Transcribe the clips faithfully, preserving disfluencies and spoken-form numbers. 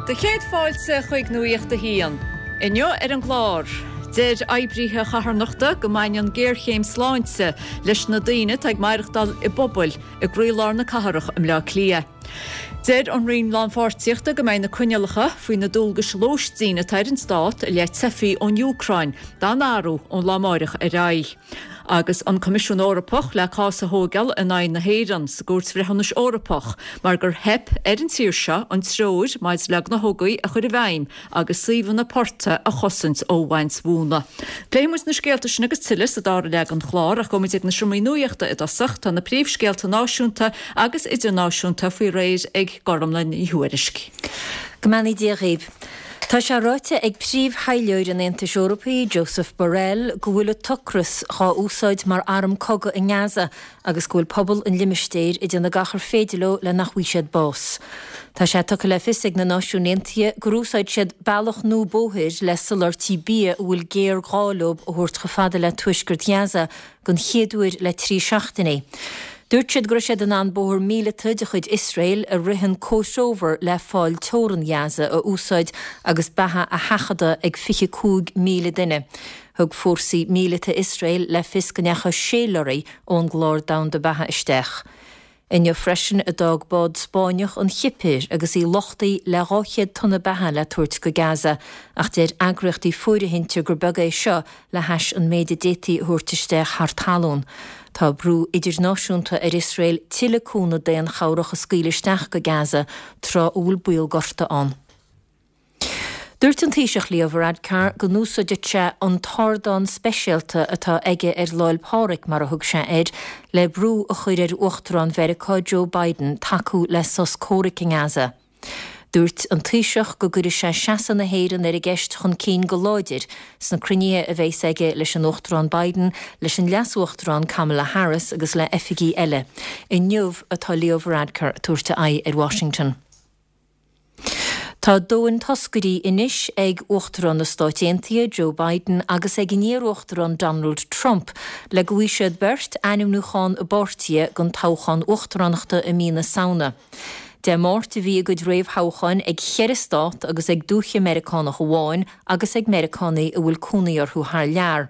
Do chéad fáilte chuig Nuacht a hAon. Inniu ar an gclár. Deir oibrithe carthanachta go mbaineann géarchéim sláinte leis na daoine atá ag maireachtáil i bpubaill i gcroílár na cathrach i mBleá Cliath. Deir an Roinn Lánpháirtíochta go mbeidh na coinníollacha faoi na dualgais lóistín atá ar an stát i leith teifigh ón Úcráin dá n-athrú ón lá amárach ar aghaidh. Agus an Coimisiún Eorpach le cás a thógáil in aghaidh na hÉireann sa gCúirt Bhreithiúnais Eorpach, mar gur theip ar an tír seo an treoir maidir le gnáthóga a chur i bhfeidhm agus suíomhanna portaigh a chosaint ó bhaint mhóna. Pléifidh muid na scéalta sin agus tuilleadh sa dara leath den chlár ach gabhfaidh muid ag na seomraí nuachta i dtosach tá na príomhscéalta náisiúnta agus idirnáisiúnta faoi réir ag Gormlaith Ní Thuairisg. Go mbeannaí Dia dhaoibh. Tá sé ráite ag príomh-thaidhleoir an Aontais Eorpaigh, Josep Borrell, go bhfuil an t-ocras á úsáid mar arm cogaidh i nGaza agus go bhfuil pobal an limistéir ag déanamh gach ar féidir leo le nach bhfaighidh siad bás. Tá sé tugtha le fios ag na Náisiúin Aontaithe gur úsáid siad bealach nua bóthair le soláthairtí bia a bhfuil géarghá leo a thabhairt chomh fada le tuaisceart Ghaza den chéad uair le trí seachtainí. Dúirt siad go raibh siad in ann bóthar míleata de chuid Iosrael a ritheann comhthreomhar le fál teorann Ghaza a úsáid agus beatha a sheachadadh ag fiche cúig míle duine. Thug fórsaí míleata Iosrael le fios go ndeachaigh sé lorry ón gClár Domhanda Beatha isteach. Inniu freisin a d'fhág bád Spáinneach an Chipir agus í luchtaithe le dhá chéad tonna beatha le tabhairt go Gaza, ach deir eagraíochtaí fóirithinte gur beag é seo le hais an méid a d'fhéadfaí a thabhairt isteach thar talún. Tá brú idirnáisiúnta ar Iosrael tuilleadh cúnamh daonchabhrach a scaoileadh isteach go Gaza tráth a bhfuil baol gorta ann. Dúirt an Taoiseach Leo Varadkar go n-úsáidfeadh sé an t-ardán speisialta atá aige ar Lá 'le Pádraig, mar a thug sé air, le brú a chur ar Uachtarán Mheiriceá Joe Biden tacú le sos comhraic i nGaza. Dúirt an Taoiseach go gcuirfidh sé seasamh na hÉireann ar an gceist chun cinn go láidir sna cruinnithe a bheas aige leis an Uachtarán Biden, leis an Leas-Uachtarán Kamala Harris agus le hoifigigh eile. Inniu atá Leo Varadkar ag tabhairt a aghaidh ar Washington. Tá dóthain toscairí anois ag Uachtarán na Stáit Aontaithe Joe Biden agus ag an iar-uachtarán Donald Trump le go bhfaighidh siad beirt ainmniúchán a bpáirtithe don toghchán uachtaránachta i mí na Samhna. Dé Máirt a bhí a gcuid réamhthoghcháin ag ceithre stát agus ag dúiche Meiriceánach amháin agus ag Meiriceánaigh a bhfuil cónaí orthu thar lear.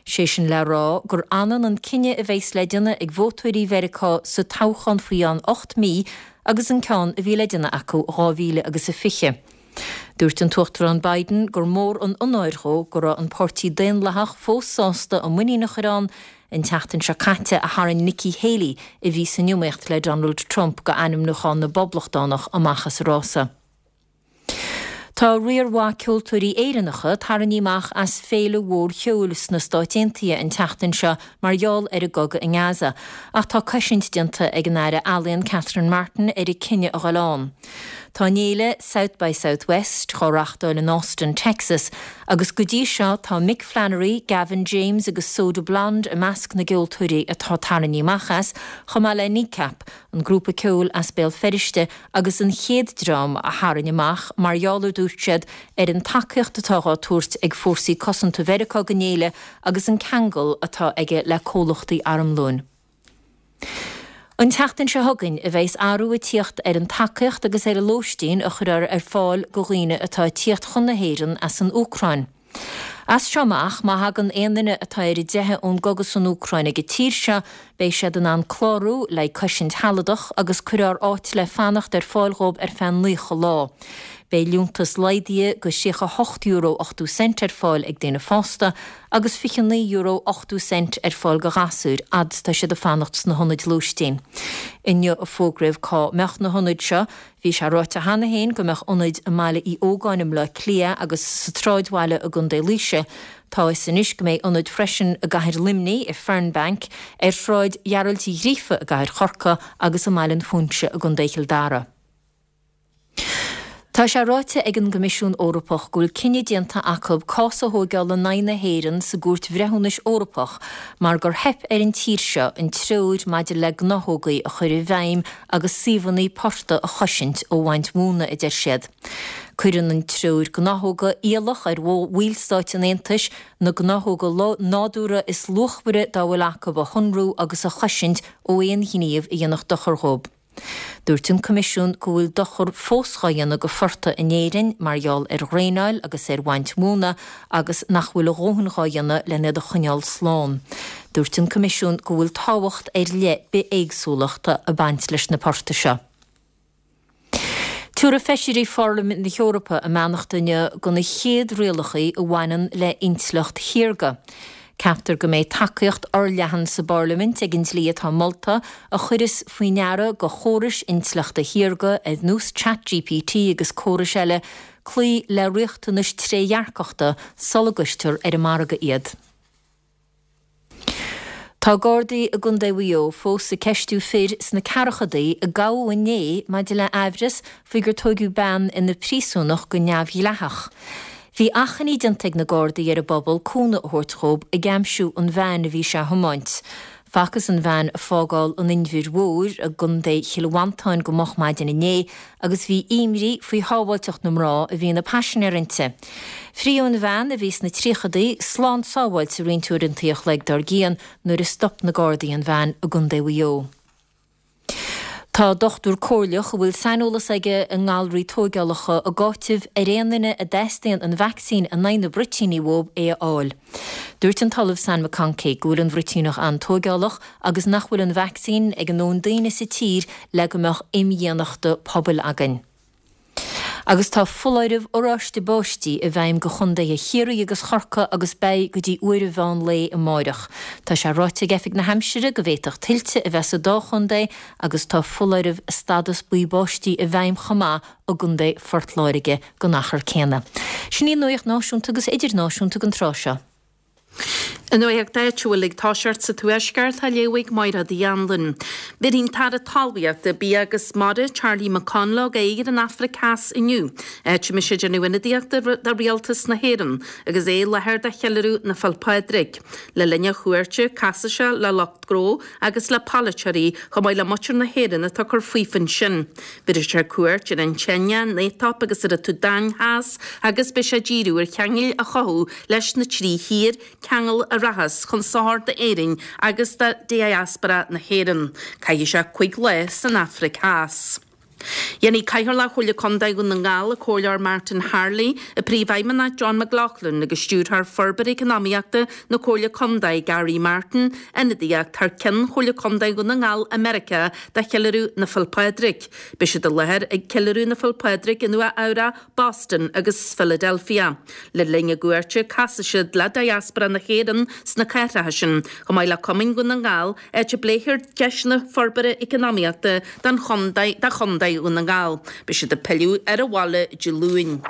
Sé sin le rá gur ionann an cinneadh a bheas le déanamh ag vótóirí Mheiriceá sa toghchán faoi cheann ocht mí agus an ceann a bhí le déanamh acu dhá mhíle agus a fiche. Dúirt an tUachtarán Biden gur mór an onóir dhó go raibh an Páirtí Daonlathach fós sásta a muinín a chur ann an tseachtain seo caite a tharraing Nikki Haley a bhí san iomaíocht le Donald Trump go ainmniúchán na bPoblachtánach amach as an rása. Tá riar mhaith ceoltóirí Éireannacha tarraingthe amach as féile mhór cheoil sna Stáit Aontaithe an tseachtain seo mar gheall ar an gcogadh i nGaza, ach tá cosaint déanta ag an Aire Ealaíon Catherine Martin ar a cinneadh a dhul ann. Tá an fhéile South by Southwest á reáchtáil in Austin, Texas, agus go dtí seo tá Mick Flannery, Gavin James agus Soda Blonde i measc na gceoltóirí atá tarraingthe amach as, chomh maith le Kneecap, an grúpa ceoil as Béal Feirste agus an chéad dream a tharraing amach mar gheall a dúirt siad ar an tacaíocht atá á tabhairt ag fórsaí cosanta Mheiriceá don fhéile agus an ceangal atá aige le comhlachtaí armlóin. An tseachtain seo chugainn a bheas athrú ag tíocht ar an tacaíocht agus ar an lóistín a chuirfear ar fáil do dhaoine atá ag tíocht chun na hÉireann as an Úcráin. As seo amach, má thagann aon duine atá ar a dteitheadh ón gcogadh san Úcráin ag an tír seo, beidh siad in ann clárú le cosaint shealadach agus cuirfear áit le fanacht ar fáil dhóibh ar feadh naocha lá. Beidh liúntas laghdaithe go tríocha hocht euro ochtó cent ar fáil ag daoine fásta agus fiche naoi euro ochtó cent ar fáil do ghasúir fhad is atá siad ag fanacht sna hionaid lóistín. Inniu a fógraíodh cá mbeadh na hionaid seo, bhí sé ráite cheana féin go mbeadh ionaid i mBaile Uí Ógáin i mBleá Cliath agus sa tSráidbhaile i gContae Laoise. Tá a fhios anois go mbeidh ionaid freisin i gCathair Luimnigh, i Fernbank, ar Shráid Ghearailt Uí Ghríofa i gCathair Chorcaí agus i mBaile an Phúinse i gContae Chill Dara. Tá sé ráite ag an gCoimisiún Eorpach go bhfuil cinneadh déanta acu cás a thógáil in aghaidh na hÉireann sa gCúirt Bhreithiúnais Eorpach mar gur theip ar an tír seo an treoir maidir le gnáthógaí a chur i bhfeidhm agus suíomhanna portaigh a chosaint ó bhaint mhóna, a deir siad. Cuireann an treoir gnáthóga iallach ar bhallstáit an Aontais na gnáthóga nádúrtha is luachmhaire dá bhfuil acu a shonrú agus a chosaint ó aon ghníomh a dhéanfadh dochar dhóibh. Dúirt an Coimisiún go bhfuil dochar fós dhá dhéanamh go phortaigh in Éirinn mar gheall ar dhraenáil agus ar bhaint mhóna agus nach bhfuil a dhóthain dhá dhéanamh len iad a choinneáil slán. Dúirt an Coimisiún go bhfuil tábhacht ar leith bithéagsúlachta ag baint leis na portaigh seo. Tabharfaidh Feisirí Pharlaimint na hEorpa a mbeannacht inniu do na chéad rialacha a bhaineann le intleacht shaorga. Ceaptar go mbeidh tacaíocht fhorleathan sa bParlaimint ag an dlí atá molta, a chuireas faoi ndeara do chórais intleachta shaorga ar nós ChatGPT agus córais eile cloí le riachtanais trédhearcachta sula gcuirtear ar an margadh iad. Tá Gardaí i gContae Mhaigh Eo fós ag ceistiú fir sna ceathrachadaí a gabhadh inné maidir le aimhreas faoi gur tóigeadh bean ina príosúnach go neamhdhleathach. Bhí achainí déanta ag na Gardaí ar an bpobal cúnamh a thabhairt dhób ag aimsiú an veain a bhí sé a thiomáint. Facthas an veain ag fágáil an Inbhir Mhóir i gContae Chill Mhantáin go moch maidin inné agus bhí imní faoi shábháilteacht na mná a bhí ina paisinéir inti. Fríodh an bhean, a bhí sna tríochadaí, slán sábháilte roinnt uaireanta a chloig dár gcionn nuair a stop na Gardaí an veain i gContae Mhaigh Eo. Tá dochtúir comhairleach a bhfuil saineolas aige i ngalraí tóigeálacha ag áiteamh ar aon duine a dteastaíonn an vacsaín in aghaidh na bruitíní uathu é a fháil. Dúirt an tOllamh Sam McConkey go bhfuil an bhruitíneach an-tóigeálach agus nach bhfuil an vacsaín ag a ndóthain daoine sa tír le go mbeadh imdhíonachta pobail againn. Agus tá foláireamh oráiste báistí i bhfeidhm do chontaetha Chiarraí agus Chorcaí agus beidh go dtí uair an mheán lae amáireach. Tá sé ráite ag Oifig na hAimsire go bhféadfadh tuilte a bheith sa dá chontae agus tá foláireamh stádas buí báistí i bhfeidhm chomh maith i gContae Phort Láirge don achar céanna. Sin í an nuaíocht náisiúnta agus idirnáisiúnta don tráth seo. An nuacht áitiúil ag toiseacht sa Tuaisceart á léamh ag Máire Uí Anluain. Bhéarfaidh an tAire Talmhaíochta, Bia agus Mara, Charlie McConalogue aghaidh ar an Afraic Theas inniu, áit a mbeidh sé ag déanamh ionadaíochta do Rialtas na hÉireann agus é i láthair do cheiliúradh na Féile Pádraig. Le linn a chuairte, casfaidh sé le lucht gnó agus le polaiteoirí chomh maith le muintir na hÉireann atá ag cur faofa ansin. Bhéarfaidh sé cuairt ar an tSeinia, an Aetóip agus ar an tSúdáin Theas agus beidh sé ag díriú ar cheangail a chothú leis na trí thír, ceangal a rachas chun sochair d'Éirinn agus do diaspora na hÉireann. Caithfidh sé cúig lá san Afraic Theas. Dhéanfaidh Cathaoirleach Chomhairle Contae Dhún na nGall, an Comhairleoir Martin Harley, an Príomhfheidhmeannach John McLaughlin agus Stiúrthóir Forbartha Eacnamaíochta na Comhairle Contae Gary Martin ionadaíocht thar ceann Chomhairle Contae Dhún na nGall i Meiriceá do cheiliúradh na Féile Pádraig. Beidh siad i láthair ag ceiliúradh na Féile Pádraig i Nua Eabhrac, Boston agus Philadelphia. Le linn a gcuairte, casfaidh siad le diaspora na hÉireann sna cathracha sin, chomh maith le Cumainn Dhún na nGall, áit a bpléifear deiseanna forbartha eacnamaíochta don chontae do Chontae Dhún na nGall. Beidh siad ag pilleadh ar an bhaile Dé Luain.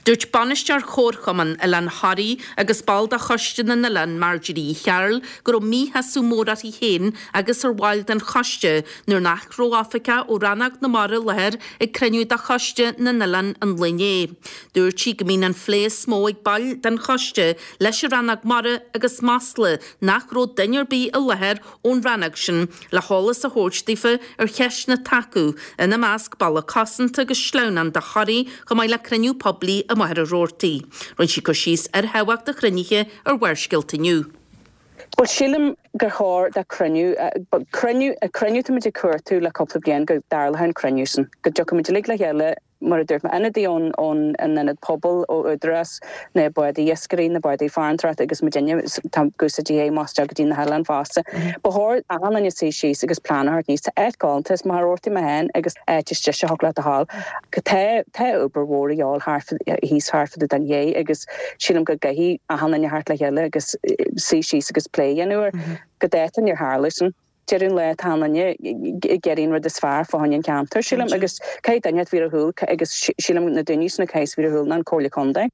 Dúirt bainisteoir Chomharchumann Oileán Thoraí agus ball de Choiste na nOileán, Marjorie Uí Chearúil, go raibh míshásamh mór uirthi féin agus ar bhaill den choiste nuair nach raibh oifigeach ó Rannóg na Mara i láthair ag cruinniú de Choiste na nOileán an lae inné. Dúirt sí go mbíonn an phlé is mó ag baill den choiste leis an Rannóg Mara agus masla nach raibh duine ar bith i láthair ón rannóg sin le heolas a thabhairt daofa ar cheisteanna atá acu, ina measc balla cosanta agus sleamhnán do Thoraigh chomh maith le cruinniú poiblí i Machaire Rabhartaigh. Rinne sí cur síos ar thábhacht an chruinnithe ar Bharrscéalta Inniu. Bhuel, sílim gur chóir do chruinniú, cruinniú, cruinniú táimid ag cuartú le cúpla bliain go dtarlódh an cruinniú sin, go dtiocfaimid uilig le chéile, mar a dúirt mé, ionadaí ón ón ionad pobail, ó údarás na bádaí iascairí, na bádaí farantóireachta agus muidinne, tá ag úsáid é más go dtí na hoileáin fosta. Ba chóir achan duine suí síos agus plean a thabhairt aníos. Tá áit galánta, is Machaire Rabhartaigh mé féin agus áit istigh a thug leat a thál. Tá tá obair mhór a dhíobháil thart thíos thart fá dtaobh den ché agus sílim go gcaithfidh achan duine theacht le chéile agus suí síos agus plé a dhéanamh air. Go dáta níor tharla sin. Deireadh an lae tá achan duine ag iarraidh an rud is fearr fá choinne an cheantair, sílim, agus caithfidh duine a bheith ar shiúl agus sílim na daoine sin a chaithfeas a bheith ar shiúl ná an Comhairle Contae.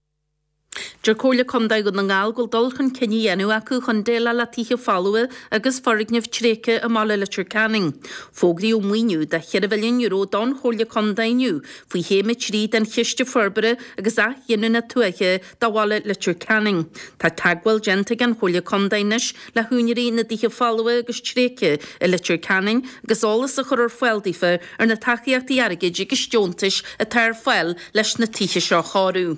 Deir Comhairle Contae Dhún na nGall go bhfuil dul chun cinn á dhéanamh acu chun déileáil le tithe folmha agus foirgnimh tréigthe i mbaile Leitir Ceanainn. Fógraíodh maoiniú de cheithre mhilliún euro don Chomhairle Contae inniu faoi Chéim a trí den Chiste Forbartha agus Athghiniúna Tuaithe do bhaile Leitir Ceanainn. Tá teagmháil déanta ag an Chomhairle Contae anois le húinéirí na dtithe folmha agus tréigthe i Leitir Ceanainn agus eolas a chur ar fáil daofa ar na tacaíochtaí airgid agus deontais atá ar fáil leis na tithe seo a chóiriú.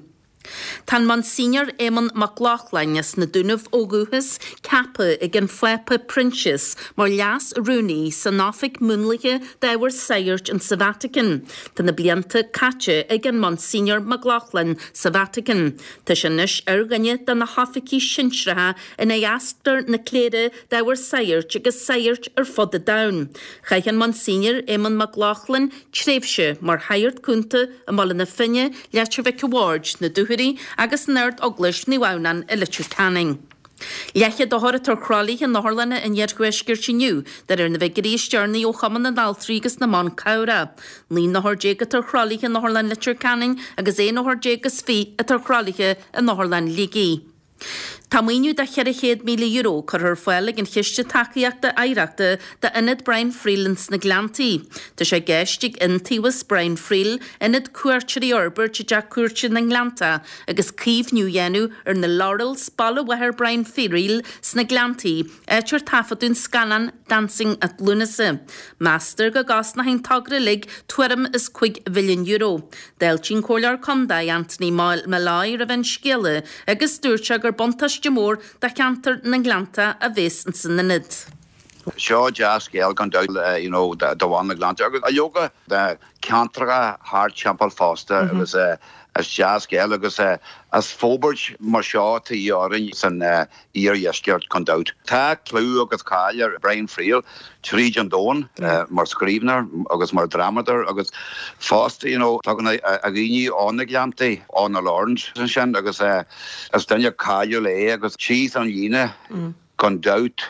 Tá an Monsignor Éamonn Mac Lochlainn as na Dúnaibh ó dhúchas ceaptha ag an Phápa Proinsias mar Leas-Rúnaí san Oifig Múnlaithe d'Ábhar Sagairt in sa Vatican. Tá na blianta caite ag an Monsignor Mac Lochlainn sa Vatican. Tá sé anois ar dhuine de na hoifigigh sinsearacha ina dheasctar na cléire d'ábhar sagairt agus sagairt ar fud an domhain. Chaith an Monsignor Éamonn Mac Lochlainn tréimhse mar shagart cúnta i mBaile na Finne, Leitir Mhic a' Bhaird, na Dúchoraidh agus in Ard-Eaglais Naomh Adhamhnáin i Leitir Ceanainn. Leathchéad othar atá ar thralaithe in otharlanna an iarthuaiscirt inniu, de réir na bhfigiúirí is deireanaí ó Chumann na nAltraí agus na mBan Cabhrach. Naoi n-othar déag atá ar thralaithe in Otharlann Leitir Ceanainn agus aon othar déag is fiche atá ar thralaithe in Otharlann Shligigh. Tá maoiniú de cheithre chéad míle euro curtha ar fáil ag an Chiste Tacaíochta Oidhreachta d'Ionad Brian Friel ins na Gleanntaí. Tá sé i gceist ag Iontaobhas Brian Friel ionad cuairteoirí a fhorbairt i dTeach Cúirte na nGleanntach agus caomhnú a dhéanamh ar na Laurels, baile mháthair Brian Friel sna Gleanntaí, áit ar taifeadadh an scannán Dancing at Lughnasa. Meastar go gcosnóidh an togra uilig tuairim is cúig mhilliún euro. D'fháiltigh an Comhairleoir Contae Anthony Molloy roimh an scéala agus dúirt sé gur buntáiste mór do cheantar na nGleanntach a bheas ins an ionad. Seo dea-scéal gan dabht you know do bhaile na nGleannta agus a leoga de ceantracha thart timpeall fosta agus is dea-scéal agus is forbairt mar seo atá orainn san iardheisceart gan dabht. Tá clú agus cáil ar Brian Friel tríd an domhan mar scríbhneoir agus mar dhrámadóir agus fosta you know tagann a dhaoine ó na Gleanntaí ó na Laurels ansin agus is duine cáiliúil é agus síos an líne gan dabht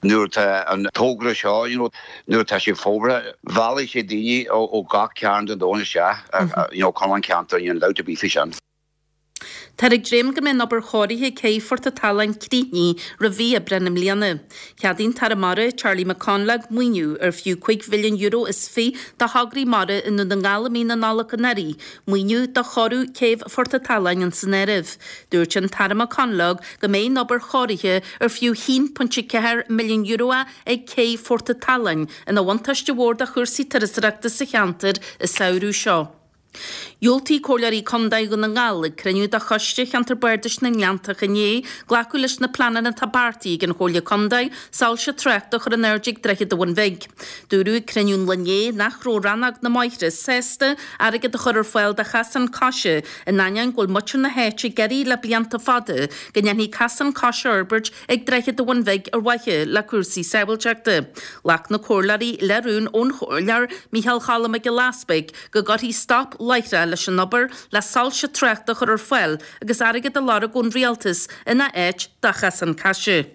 nuair atá an togra seo you know nuair atá sé fógartha meallfaidh sé daoine ó gach cearn den domhan isteach you know chun an ceantar níl dabht ar bith faoi sin. Táthar ag dréim go mbeidh an obair chóirithe ag céibh Phort an tSalann críochnaithe roimh mhí Aibreán i mbliana. Cheadaigh an tAire Mara, Charlie McConalogue, maoiniú ar fiú cúig mhilliún euro is fiche do thograí mara i nDún na nGall i mí na Nollag anuraidh, maoiniú do chóiriú céibh Phort an tSalann san áireamh. Dúirt an tAire McConalogue go mbeidh an obair chóirithe ar fiú haon pointe ceathair milliún euro ag céibh Phort an tSalainn ina bhuntáiste mhór do chúrsaí turasóireachta sa cheantar an samhradh seo. Dhiúltaigh Comhairleoirí Contae Dhún na nGall ag cruinniú de Choiste Cheantar Bardais na nGleanntach inné glacadh leis na pleananna atá beartaithe ag an Chomhairle Contae soilse tráchta a chur in airde ag Droichead an Bhun Bhig. Dúradh ag cruinniú an lae inné nach raibh rannóg na mbóithre sásta airgead a chur ar fáil do chasán coise in ainneoin go bhfuil muintir na háite ag iarraidh le blianta fada go ndéanfaí casán coise a fhorbairt ag Droichead an Bhun Bhig ar mhaithe le cúrsaí sábháilteachta. Ghlac na comhairleoirí le rún ón Chomhairleoir Micheál Choilm Mac Giolla Easpaig go gcuirfí stop láithreach leis an obair le soilse tráchta a chur ar fáil agus airgead a lorg ón rialtas ina áit do chasán coise.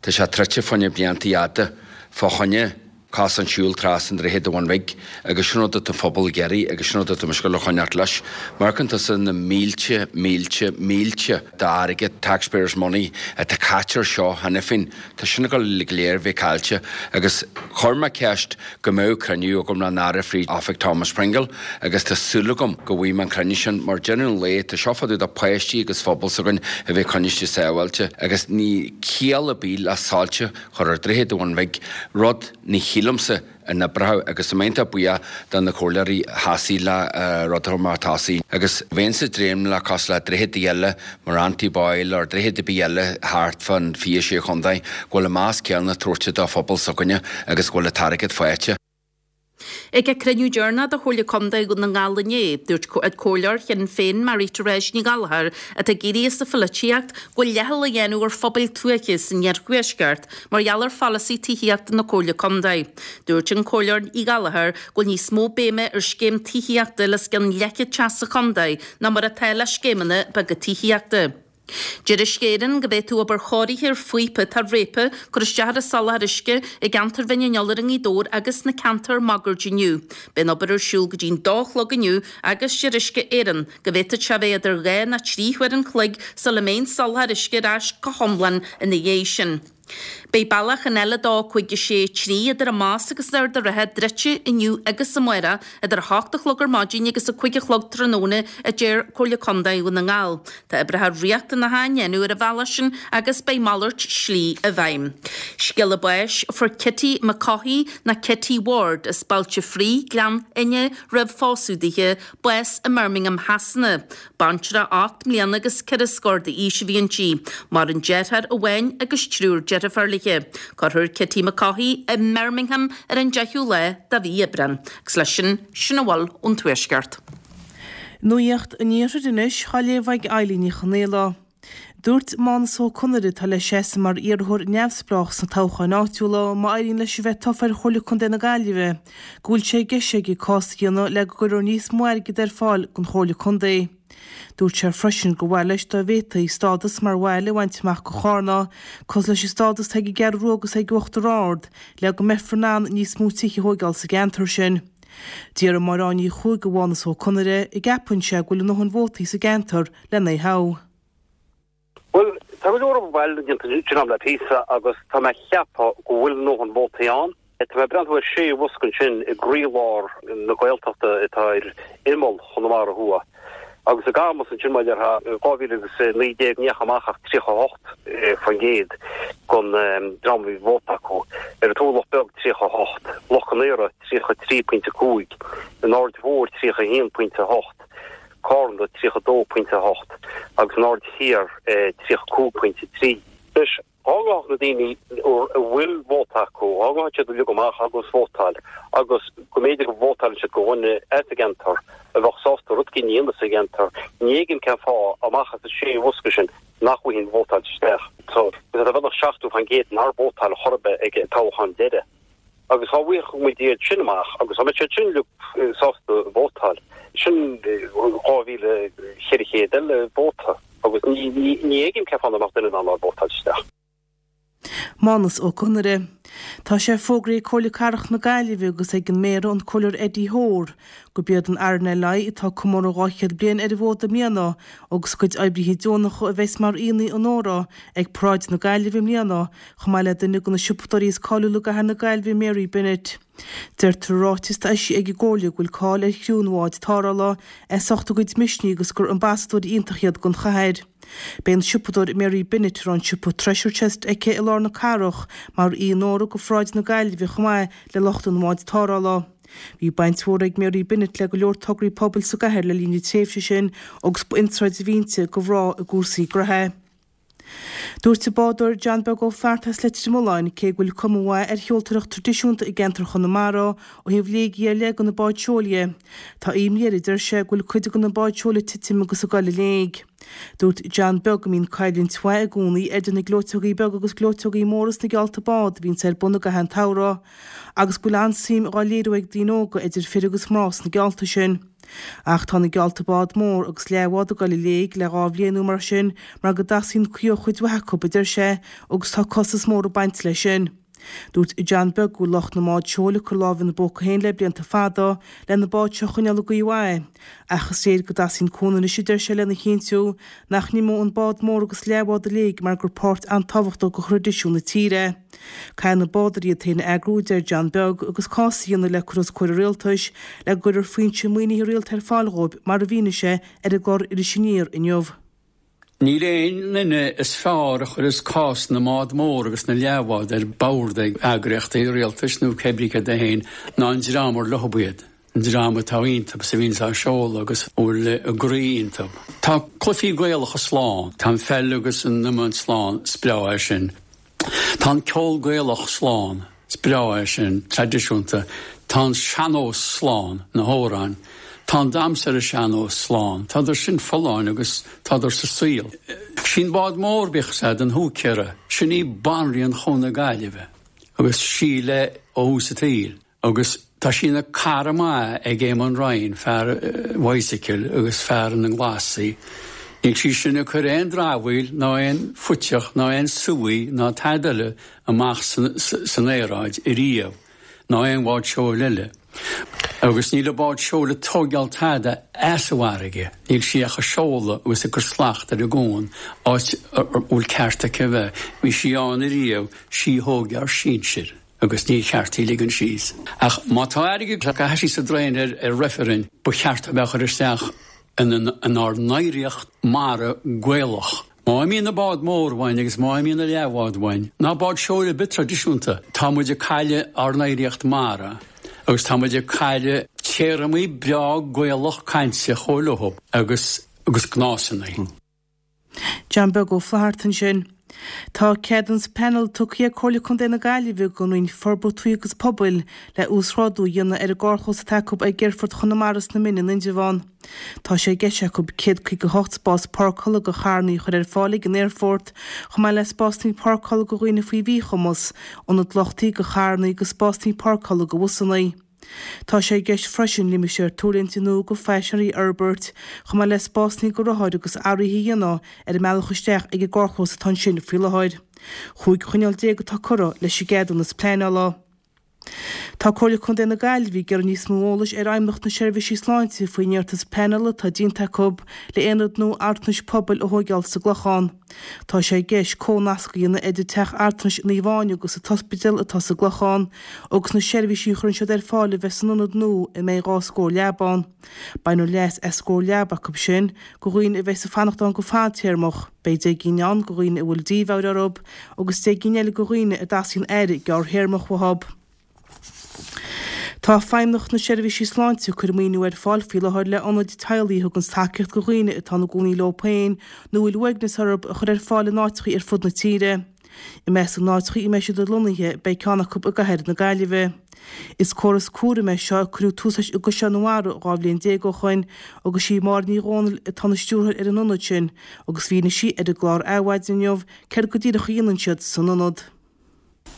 Tá sé troidte fá choinne blianta fhada fá choinne cosán siúil trasna an Droichead an Bhun Bhig agus sin rud atá an phobal ag iarraidh agus sin rud atá mise ag gabháil a choinneáilt leis. Má amharcann tusa na mílte, mílte, mílte d'airgead, taxpayers money, atá caite ar seo cheana féin, tá sin ag gabháil go léir bheith caillte agus chuir mé ceist go mbeadh cruinniú agam le an Aire fríd oifig Thomas Pringle agus tá súil agam go bhfaighidh mé an cruinniú sin mar deireadh an lae tá seo fá dtaobh de páistí agus phobal s'againn a bheith coinnithe sábháilte agus níl ciall ar bith le soilse a chur ar Droichead an Bhun Bhig, rud ní shílimse a n-oibreoidh agus tá mé iontach buíoch do na comhairleoirí a sheasaigh le rud a chur mar tosaigh agus bheinnse ag dréim le cosúil le droicheadaí eile mar Anty Boyle or droichead ar bith eile thart fán fiche sé chontae go bhfuil an meas céanna tabhairte do phobal s'againne agus go bhfuil an t-airgead faighte. Ag a cruinniú deireanach de Chomhairle Contae Dhún na nGall inné, dúirt Comhairleoir Shinn Féin Marie Therese Ní Ghallchóir, atá ag éirí as an pholaitíocht, go bhfuil leithcheal á dhéanamh ar phobail tuaithe san iarthuaisceart mar gheall ar pholasaí tithíochta na Comhairle Contae. Dúirt an Comhairleoir Ní Ghallchóir go bhfuil níos mó béime ar scéim tithíochta le os cionn leathchéad teach sa chontae ná mar atá le scéimeanna beaga tithíochta. Deir Uisce Éireann go bhféadfadh obair chóirithe ar phíopa atá réabtha cur isteach ar an soláthar uisce i gceantar Bhinn an Iolair i nGaoth Dobhair agus sna ceantair máguaird inniu. Beidh an obair ar siúl go dtí'n dó a chlog inniu agus deir Uisce Éireann go bhféadfadh sé a bheith idir dhá nó trí huair an chloig sula mbeidh an soláthar uisce ar ais go hiomlán ina dhiaidh sin. Beidh bealach an L a dó cúig a sé trí idir an Más agus Ard an Rátha druidte inniu agus amárach idir a hocht a chlog ar maidin agus a cúig a chlog tráthnóna, a deir Comhairle Contae Dhún na nGall. Tá oibreacha riachtanacha á ndéanamh ar an bhealach sin agus beidh malairt slí i bhfeidhm. Scéala báis, Fuair Kitty McCaughey nó Kitty Ward as Bailte Fraoigh, Gleann Fhinne, roimh phósadh dithe, bás i mBirmingham Shasana. Baintreach ocht mbliana agus ceithre scór d'aois a bhí inti. Maireann deartháir amháin agus triúr deirfiúr léi. Cuirfear Kitty McCaughey i mBirmingham ar an deichiú lá de mhí Aibreán. Agus leis sin, sin a bhfuil ón Tuaisceart. Nuacht an Iarthair anois, á léamh ag Eilín Ní Chonaola. Dúirt Mánas Ó Conaire, atá le seasamh mar iarrthóir neamhspleách sna toghcháin áitiúla má éiríonn leis a bheith tofa ar Chomhairle Contae na Gaillimhe, go bhfuil sé i gceist aige cás a dhéanamh le go gcuirfear níos mó airgid ar fáil don Chomhairle Contae. Dúirt sé freisin gur mhaith leis dá bhféadfaí stádas mar bhaile a bhaint amach do Charna, cosúil leis an stádas atá ag an gCeathrú Rua agus ag Uachtar Ard, le go mbeifear in ann níos mó tithe a thóigeáil sa gceantar sin. D'fhiafraigh Máire Áine Ní Chuaig de Mhánas Ó Conaire an gceapann sé go bhfuil a ndóthain vótaí sa gceantar lena thoghadh. Bhuel, tá go leor obair déanta sin am le píosa agus tá mé ag ceapadh go bhfuil a ndóthain vótaí ann. Tá mé ag breathnú ar sé bhosca ansin i gcroílár na Gaeltachta atá ar imeall Chonamara Thuaidh. Agus i gCamus ansin mar a déarfá, i dhá mhíle agus naoi déag ní dheachaigh amach ach tríocha a hocht faoin gcéad den dream a bhí vóta acu. Ar an Turlach Beag tríocha a hocht, Loch Con Aora tríocha a trí pointe a cúig, an Aird Mhóir tríocha a haon pointe a hocht, Carna tríocha a dó pointe a hocht agus an Aird Thiar tríocha a cúig pointe a trí. Anois, dhá ngabhfadh na daoine a bhfuil vóta acu, dhá ngabhfadh siad uilig amach agus vótáil agus go mb'fhéidir go vótálann siad do dhuine as an gceantar a bheadh sásta rud éigin a dhéanamh sa gceantar, ní fheicim cén fáth, amach as an sé bhosca sin, nach bhfaighinn vótáilte isteach. So, tá beagnach seachtó faoin gcéad nár vótáil chor ar bith ag an toghchán deiridh. Agus dhá bhfaigheadh muid iad sin amach agus dá mbeadh siad sin uilig sásta vótáil, sin dhá mhíle cheithre chéad eile vóta agus ní fheicim cén fáth nach mbeadh duine in ann nár vótáil isteach. Mánas Ó Conaire. Tá sé fógraithe ag Comhairle Cathrach na Gaillimhe agus ag an Méara, an Comhairleoir Eddie Hoare, gurb iad an RNLI, atá ag comóradh dhá chéad bliain ar an bhfód i mbliana, agus a gcuid oibrithe deonacha a bheas mar aíonna onóra ag Paráid na Gaillimhe i mbliana, chomh maith le duine de na siopadóirí is cáiliúla i gcathair na Gaillimhe, Mary Bennett. Deirtear i ráiteas atá eisithe ag an gComhairle go bhfuil cáil ar chriú an bháid tarrthála as ucht a gcuid misnigh agus gur ambasadóirí iontach iad don chathair. Beidh an siopadóir Mary Bennett, a raibh an siopa Treasure Chest aici i lár na cathrach, mar aoi onóra do Pharáid na Gaillimhe chomh maith le lucht an bháid tarrthála. Bhí baint mhór ag Mary Bennett le go leor tograí pobail sa gcathair le linn na tréimhse sin agus ba inspioráid a bhí inti do mhná i gcúrsaí gnoithe. Dúirt an bádóir John Beag Ó Flatharta as Leitir Mealláin, cé go bhfuil cuma mhaith ar sheoltóireacht traidisiúnta i gceantar Chonamara ó thaobh léigí ar leith de na báid seoil dhe, tá imní air, a deir sé, go bhfuil cuid de na báid seoil ag titim agus ag dul i léig. Dúirt John Beag go mbíonn coimhlint mhaith i gcónaí idir na gleoiteogaí beaga agus gleoiteogaí móra sna geallta bád a bhíonns ar bun i gcaitheamh an tsamhraidh agus go bhfuil an-suim dhá léiriú ag daoine óga idir fir agus mná sna geallta sin. Ach tá na geallta bád mór agus leathbhád ag dul i léig le dhá bhliain nó mar sin mar go dteastaíonn caoi ó chuid mhaith acu, a deir sé, agus tá costas mór ag baint leis sin. Dúirt John Beag go bhfuil lucht na mbád seoil ag cur lámh ina bpóca féin le blianta fada le na báid seo a choinneáil i gcaoi mhaith. Ach is léir go dteastaíonn cúnamh anois, a deir sé, lena chinntiú nach n-imeoidh an bád mór agus leathbhád i léig mar gur páirt an-tábhachtach de thraidisiún na tíre. Caithfidh na bádóirí iad féin a eagrú, a deir John Beag, agus cás a dhéanamh le cur os comhair an rialtais le go gcuirfear foinse maoinithe rialta ar fáil dhóibh, mar a mhínigh sé ar an gclár Iris Aniar inniu. Níl aon duine is fearr a chuireas cás na mbád mór agus na leathbhád ar bord ag eagraíochtaí rialtais nó cébrí céard é féin ná an dream ar leob iad, an dream atá iontub is a bhíonns á seoladh agus a bhfuil a gcroí iontub. Tá cluichí Gaelacha slán, tá an pheil agus an iomáint slán, is breá é sin. Tá an ceol Gaelach slán, is breá é sin, traidisiúnta. Tá an sean-nós slán, na hamhráin. Tá an damhsa ar an sean-nós slán. Tádar sin folláin agus tádar sa saol. Sí'n bád mór, bíodh 's a'd, an húicéara, sin í banríon Chuan na Gaillimhe agus sí léi ó thús an tsaoil. Agus tá sí ina cara maith ag Éamonn Ryan, fear an bhicycle agus fear na nglasaí. Níl sí sin ag cur aon dramhaíl ná aon phuiteach ná aon suí ná tada eile amach san aeráid ariamh, ná aon bhád seoil eile. Agus níl an bád seoil ag tógáil tada as an bhfarraige, níl sí ach ag seoladh agus ag cur slacht ar an gcuan, áit a bhfuil ceart aici a bheith. Bhí sí ann ariamh, sí a thóg ár sinsir agus ní cheart í a ligean síos. Ach má tá airgead curtha síos sa draein ar ar reifreann, ba cheart a bheith á chur isteach inár n-oidhreacht mara Gaelach. Má imíonn an bád mór uainn agus má imíonn an leathbhád uainn, ná bád seoil ar bith traidisiúnta, tá muid ag cailleadh ár n-oidhreacht mara agus tá muid ag cailleadh téarmaí breá Gaelach cainte chomh leo agus agus gnásanna. John Beag Ó Flatharta ansin. Tá ceadúnas pleanála tugtha ag Comhairle Contae na Gaillimhe don Roinn Forbartha Tuaithe agus Pobail le uasghrádú a dhéanamh ar an gcarrchlós atá acu ag Aerfort Chonamara sna Mine in Indreabhán. Tá sé i gceist acu céad caoga a hocht spás páirceála do charranna a chur ar fáil ag an aerfort, chomh maith le spásanna páirceála do dhaoine faoi mhíchumas, ionad luchtaithe do charranna agus spásanna páirceála do bhusanna. Tá sé i gceist freisin limistéar tuirlingte nua do phaisinéirí a fhorbairt, chomh maith le spásanna do rothair agus athruithe a dhéanamh ar an mbealach isteach ag an gcarrchlós atá ansin faoi láthair. Chúig choinníoll déag atá curtha leis an gceadúnas pleanála. Tá Comhairle Contae na Gaillimhe ag iarraidh níos mó eolais ar Fheidhmeannacht na Seirbhísí Sláinte faoin iarratas pleanála atá déanta acu le aonad nua altranais pobail a thóigeáil sa gClochán. Tá sé i gceist comhnasc a dhéanamh idir Teach Altranais Naomh Áine agus an t-ospidéal atá sa gClochán agus na seirbhísí a chuireann siad ar fáil a bheith san ionad nua a mbeidh dhá scór leaba ann. Bainfear leas as scór leaba acu sin do dhaoine a bheas ag fanacht ann go fadtéarmach. Beidh deich gcinn ann do dhaoine a bhfuil dímheabhair orthu agus deich gcinn eile do dhaoine a dteastaíonn aire gearrthéarmach uathu. Tá Feidhmeannacht na Seirbhísí Sláinte ag cur maoiniú ar fáil faoi láthair le ionaid teaghlaigh a thuganns tacaíocht do dhaoine atá ina gcónaí leo féin nó a bhfuil uaigneas orthu a chur ar fáil in áiteachaí ar fud na tíre. I measc na n-áiteachaí a mbeidh siad lonnaithe beidh ceann acu i gcathair na Gaillimhe. Is córas cúraim é seo a cuireadh tús leis i gCaisleán an Bharraigh dhá bhliain déag ó shoin agus sí Máire Ní Dhomhnaill atá ina stiúrthóir ar an ionad sin agus mhínigh sí ar an gclár Adhmhaidin inniu céard go díreach a dhéanann siad san ionad.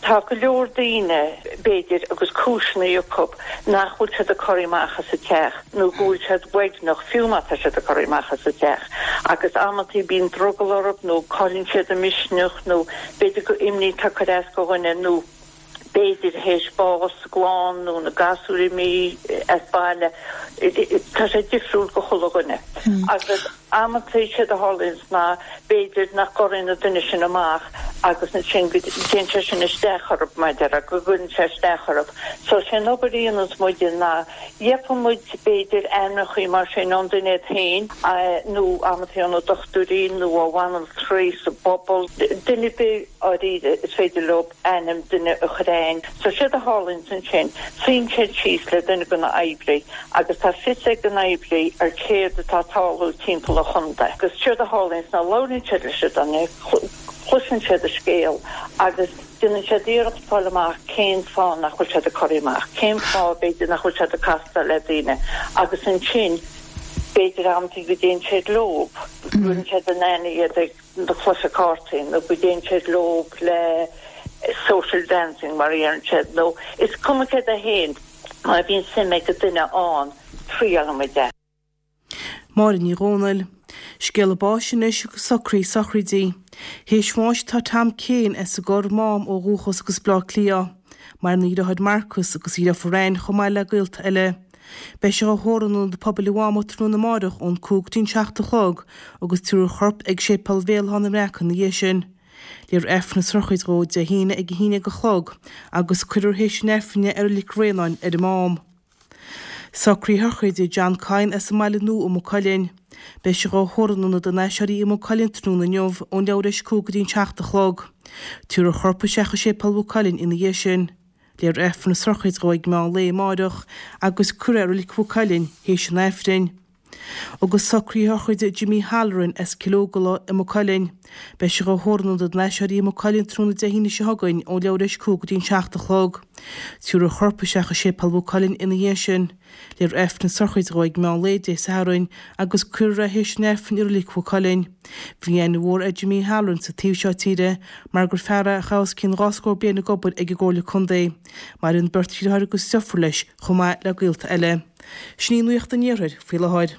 Tá go leor daoine, b'fhéidir, agus cúiseanna acu nach bhfuil siad ag corraí amach as an teach nó go bhfuil siad uaigneach fiú má tá siad ag corraí amach as an teach agus amantaí bíonn drogall orthu nó cailleann siad a misneach nó b'fhéidir go imní atá ag cur as do dhuine nó b'fhéidir théis bás sa gclann nó na gasúir imithe as baile. Tá sé difriúil go chuile dhuine agus. Amantaí séard a tharlaíonns ná b'fhéidir nach gcorraíonn an duine sin amach agus ansin go dtéann sé sin isteach orthu, mar a déarfá, go gcuireann sé isteach orthu. So sé an obair a dhéananns muide ná gheobhann muid b'fhéidir ainmneachaí mar sin ón duine iad féin nó amantaí ó na dochtúirí nó ó bhanaltraí sa bpobal, duine ar bith dháiríre is féidir leo ainm duine a chur a'inn. So séard a tharlaíonns ansin, suíonn siad síos le duine de na oibrí agus tá fios ag an oibrí ar céard atá ag tarlú timpeall an chontae. Agus séard a tharlaíonns ná labhraíonn siad leis an duine, cloiseann siad a scéal agus déanann siad iarracht fáil amach cén fáth nach bhfuil siad ag corraí amach, cén fáth b'fhéidir nach bhfuil siad ag castáil le daoine agus ansin b'fhéidir amantaí go dtéann siad leob, cuireann siad in aithne iad ag na cluiche cártaí nó go dtéann siad leo le social dancing mar a deireann siad nó is cuma céard é féin má bhíonn suim ag an duine ann triaileann muid é. Máire Ní Dhomhnaill. Scéala báis anois agus socruithe sochraide. Théis bháis atá Tom Kane as an gCorr, Mám ó dhúchas agus Bleá Cliath. Maireann a dheartháir Marcus agus a dheirfiúr Ann chomh maith le gaolta eile. Beidh sé á thórramh in Ionad Pobail an Mháma tráthnóna amáireach ón cúig go dtí'n seacht a chlog agus tabharfar a chorp ag Séipéal Bhéal Átha na mBreac ina dhiaidh sin. Léifear Aifreann na sochraide dhó Dé hAoine ag a haon déag a chlog agus cuirfear théis an Aifrinn é i Reilig Bhraonáin ar an Mám. Socruithe sochraide John Kyne as an mBaile Nua i Maigh Cuilinn. Beidh sé á thórramh in Ionad an Aiséirí i Maigh Cuilinn tráthnóna inniu ón leathuair théis cúig go dtí'n seacht a chlog. Tabharfar a chorp isteach i Séipéal Mhaigh Cuilinn ina dhiaidh sin. Léifear Aifreann na sochraide dhó ag meán lae amáireach agus cuirfear é i Reilig Mhaigh Cuilinn théis an Aifrinn. Agus socruithe sochraide Jimmy Halloran as Cill Ógala i Maigh Cuilinn. Beidh sé á thórramh in Ionad an Aiséirí i Maigh Cuilinn tráthnóna Dé hAoine seo chugainn ón leathuair théis cúig go dtí'n seacht a chlog. Tabharfar a chorp isteach i Séipéal Mhaigh Cuilinn ina dhiaidh sin. Léifear Aifreann na sochraide dhó ag meán lae Dé Sathairn agus cuirfear é théis an Aifrinn i Reilig Mhaigh Cuilinn. Bhí aithne mhór ar Jimmy Halloran sa taobh seo tíre mar gur fear é a chaith os cionn dhá scór bliain ag obair ag an gComhairle Contae. Maireann beirt dheartháir agus deirfiúr leis chomh maith le gaolta eile. Sin í nuacht an Iarthair faoi láthair.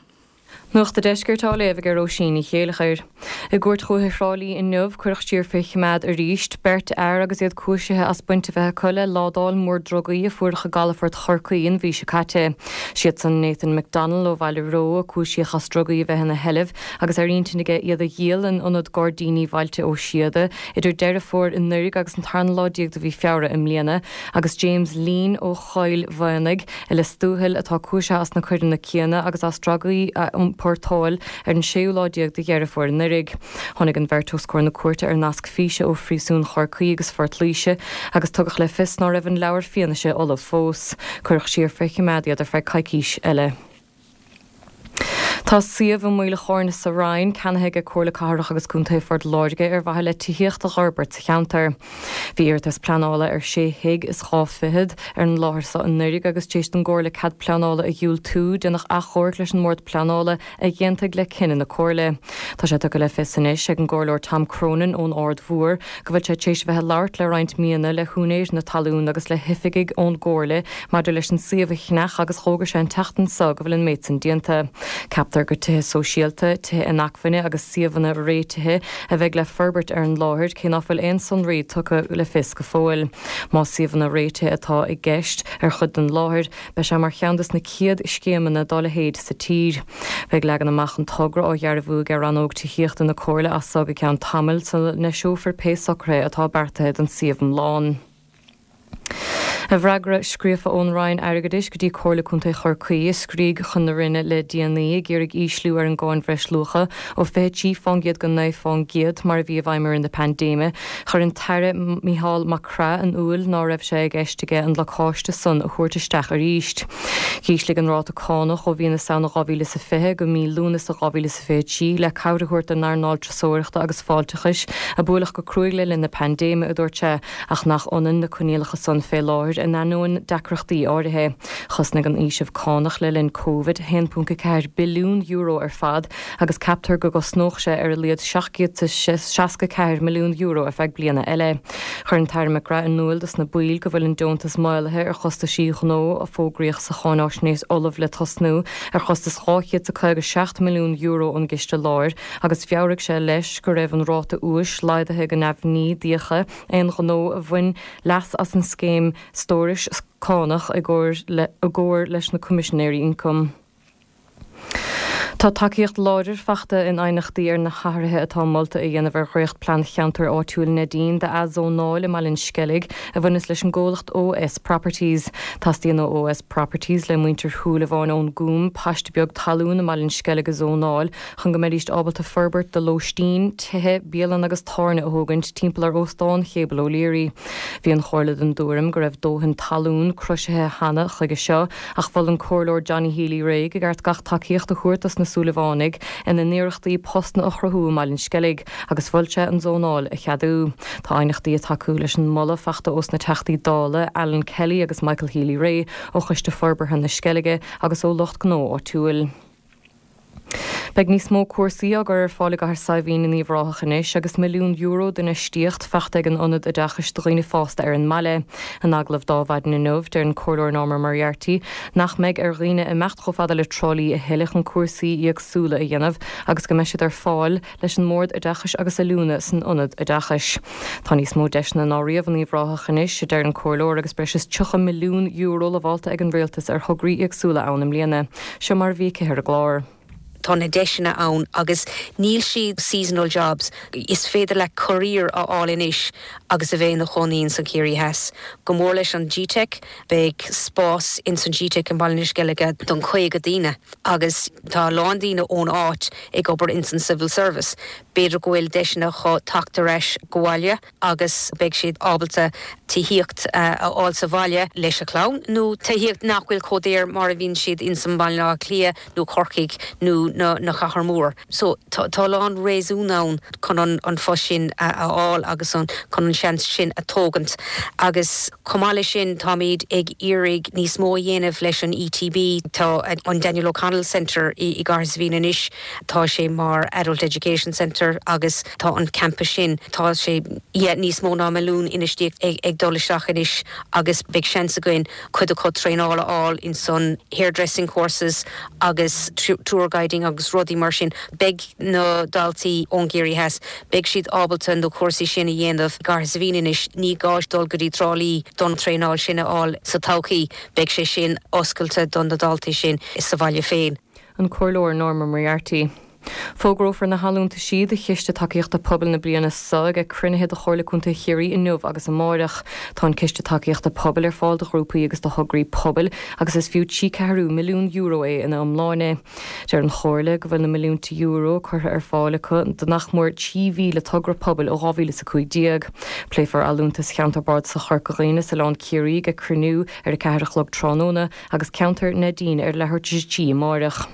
Nuacht an Deiscirt á léamh ag Róisín Ní Chéilleachair. I gCúirt Dhúiche Thrá Lí inniu cuireadh siar fé choimeád arís beirt fhear agus iad cúisithe as baint a bheith acu le ládáil mór drugaí a fuaireadh i gcalafort Chorcaí an mhí seo caite. Siadsan Nathan McDonnell ó Bhaile Reo a cúisíodh as drugaí a bheith ina sheilbh agus ar intinn aige iad a dhíol in Ionad Gairdíní Bhailte Ó Síoda idir Deireadh Fómhair anuraidh agus an tarna lá déag de mhí Feabhra i mbliana agus James Lean ó Choill Mhaonaigh i Lios Tuathail atá cúisithe as na coireanna céanna agus as drugaí a iompórtáil ar an séú lá déag de Dheireadh Fómhair anuraidh. Tháinig an bheirt os comhair na cúirte ar nasc físe ó phríosún Chorcaí agus Phort Laoise agus tugadh le fios ná raibh an leabhar fianaise ullamh fós. Cuireadh siar fé choimeád iad ar feadh coicís eile. Tá suíomh i Maoil a' Chairn sa Rinn ceannaithe ag Comhairle Cathrach agus Contae Phort Láirge ar mhaithe le tithíocht a dh'fhorbairt sa cheantar. Bhí iarratas pleanála ar sé thigh is dhá fichead ar an láthair seo anuraidh agus tar éis don gComhairle cead pleanála a dhiúltú, déanadh achomharc leis an mBord Pleanála a d'aontaigh le cinneadh na Comhairle. Tá sé tugtha le fios anois ag an gComhairleoir Tom Cronin ón Aird Mhór go bhfuil sé tar éis a bheith ag labhairt le roinnt míonna le húinéir na talún agus le hoifigigh ón gComhairle maidir leis an suíomh a cheannach agus d'fhógair sé an tseachtain seo go bhfuil an méid san déanta. Ceaptar gur tithe sóisialta, tithe inacmhainne agus suíomhanna réitithe a bheidh le forbairt ar an láthair, cé ná fuil aon sonraí tugtha le fios go fóill. Más suíomhanna réitithe atá i gceist ar chuid den láthair, beidh sé mar cheann des na chéad scéimeanna dá leithéid sa tír. Beidh leagan amach an togra á dhearbhú ag rannóg tithíochta na Comhairle as seo go ceann tamaill sula n-eiseofar pé socruithe atá beartaithe don suíomh iomlán. I bhfreagra scríofa ón Roinn Airgeadais go dtí Comhairle Contae Chorcaí a scrígh chun na Roinne le déanaí ag iarraidh ísliú ar an gcáin bhreisluacha ó fiche trí fán gcéad go naoi fán gcéad mar a bhí i bhfeidhm i rith na paindéime, chuir an tAire Mícheál Mac Craith in iúl ná raibh sé i gceist aige an lacáiste san a thabhairt isteach arís. Dh'ísligh an ráta cánach ó mhí na Samhna dhá mhíle is a fiche go mí Lúnasa dhá mhíle is a fiche trí le cabhair a thabhairt don earnáil turasóireachta agus fáilteachais a buaileadh go cruaidh le linn na paindéime, a dúirt sé, ach nach ionann na coinníollacha san fé láthair in ainneoin deacrachtaí áirithe. Chosnaigh an fhaoiseamh cánach le linn Covid a haon ponc a ceathair billiún euro ar fad agus ceaptar go gcosnódh sé ar a laghad seacht gcéad is seasca ceathair milliún euro ar feadh bliana eile. Chuir an tAire McGrath in iúl dos na baill go bhfuil an deontas maolaithe ar chostaisí gnó a fógraíodh sa cháináisnéis ullamh le tosnú ar chostas dhá chéad is caoga seacht milliún euro ón gCiste Láir agus mheabhraigh sé leis go raibh an ráta úis laghdaithe go neamhní d'fhiacha aon ghnó a bhain leas as an scéim stórais cánach i gcomhar leis na Coimisinéirí Ioncaim. Tá tacaíocht láidir fachta in aighneachtaí ar na hathruithe atá molta a dhéanamh ar dhréachtphlean Cheantar Áitiúil Neidín d'athzónáil i mBaile an Sceilg a bhaineas leis an gcomhlacht OS Properties. Teastaíonn ó OS Properties le muintir Shúilleabháin ón gCúm paiste beag talún i mBaile an Sceilg a zónáil chun go mbeidís ábalta forbairt do lóistín, tithe, bialann agus tábhairne a thógaint timpeall ar Óstán Chéibel O'Leary. Bhí an Chomhairle den dtuairim go raibh dóthain talún croisithe cheana chuige seo ach mhol an Comhairleoir Johnny Healy-Rae gur cheart gach tacaíocht a thabhairt dos na Súilleabhánaigh ina n-iarrachtaí postanna a chruthú i mBaile an Sceilg agus mhol sé an zónáil a cheadú. Tá aighneachtaí ag tacú leis an moladh fachta ós na Teachtaí Dála Alan Kelly agus Michael Healy-Rae ó Choiste Forbartha na Sceilge agus ó lucht gnó áitiúil. Beidh níos mó cúrsaí á gcur ar fáil i gCathair Saidhbhín in Uíbh Ráthach anois agus milliún euro d'infheistíocht fachta ag an Ionad Oideachais do Dhaoine Fásta ar an mbaile. In agallamh do Adhmhaidin inniu, deir an Comhairleoir Norma Moriarty nach mbeidh ar dhaoine imeacht chomh fada le Trá Lí a thuilleadh chun cúrsaí éagsúla a dhéanamh agus go mbeidh siad ar fáil leis an mBord Oideachais agus Oiliúna san Ionad Oideachais. Tá níos mó deiseanna ná riamh in Uíbh Ráthach anois, a deir an Comhairleoir, agus breis is tríocha milliún euro lamhálta ag an Rialtas ar thograí éagsúla ann i mbliana. Seo mar a bhí aici ar an gclár. Tá na deiseanna ann agus níl siad seasonal jobs. Is féidir le career a fháil anois agus a bheith ina chónaí in san Ciarraí Theas. Go mór leis an GTeic, beidh spás in san GTeic in Baile na Sceilge don caoga daoine agus tá a lán daoine ón áit ag obair in san civil service. B'fhéidir go bhfuil deiseanna acu teacht ar ais go bhaile agus beidh siad ábalta tithíocht a fháil sa bhaile leis a chlann nó tithíocht nach bhfuil chomh daor mar a bhíonn siad in san Baile Átha Cliath nó Corcaigh nó na na chathair mór. So tá tá a lán réasún ann chun an an phost sin a a fháil agus an chun an seans sin a thógaint. Agus chomh maith leis sin táimid ag iarraidh níos mó a dhéanamh leis an ETB tá an Daniel O'Connell Centre i i gCathair Saidhbhín anois tá sé mar Adult Education Centre agus tá an campus sin tá sé yeah, níos mó ná milliún infheistíocht ag, ag dul isteach anois agus beidh seans againn cuid acu traenáil a fháil in san hairdressing courses agus tour guiding painting agus rudaí mar sin. Beidh na daltaí ón gCiarraí Theas, beidh siad ábalta na cúrsaí sin a dhéanamh i gCathair Saidhbhín anois, ní gá dul go dtí Trá Lí don traenáil sin a fháil sa todhchaí, beidh sé sin oscailte don na daltaí sin sa bhaile féin. An Comhairleoir Norma Moriarty. Fógrófar na hallúntaisí do Chiste Tacaíochta Pobail na bliana seo ag cruinnithe de Chomhairle Contae Chiarraí inniu agus amáireach. Tá an Ciste Tacaíochta Pobail ar fáil do ghrúpaí agus do thograí pobail agus is fiú trí ceathrú milliún euro é ina iomláine. Deir an Chomhairle go bhfuil na milliúnta euro curtha ar fáil acu do nach mór trí mhíle togra pobail ó dhá mhíle is a cúig déag. Pléifear allúntais Cheantar Bardasach Chorca Dhuibhne is Oileán Ciarraí ag cruinniú ar a ceathair a chlog tráthnóna agus ceantar Neidín ar leathuair tar éis a trí amáireach.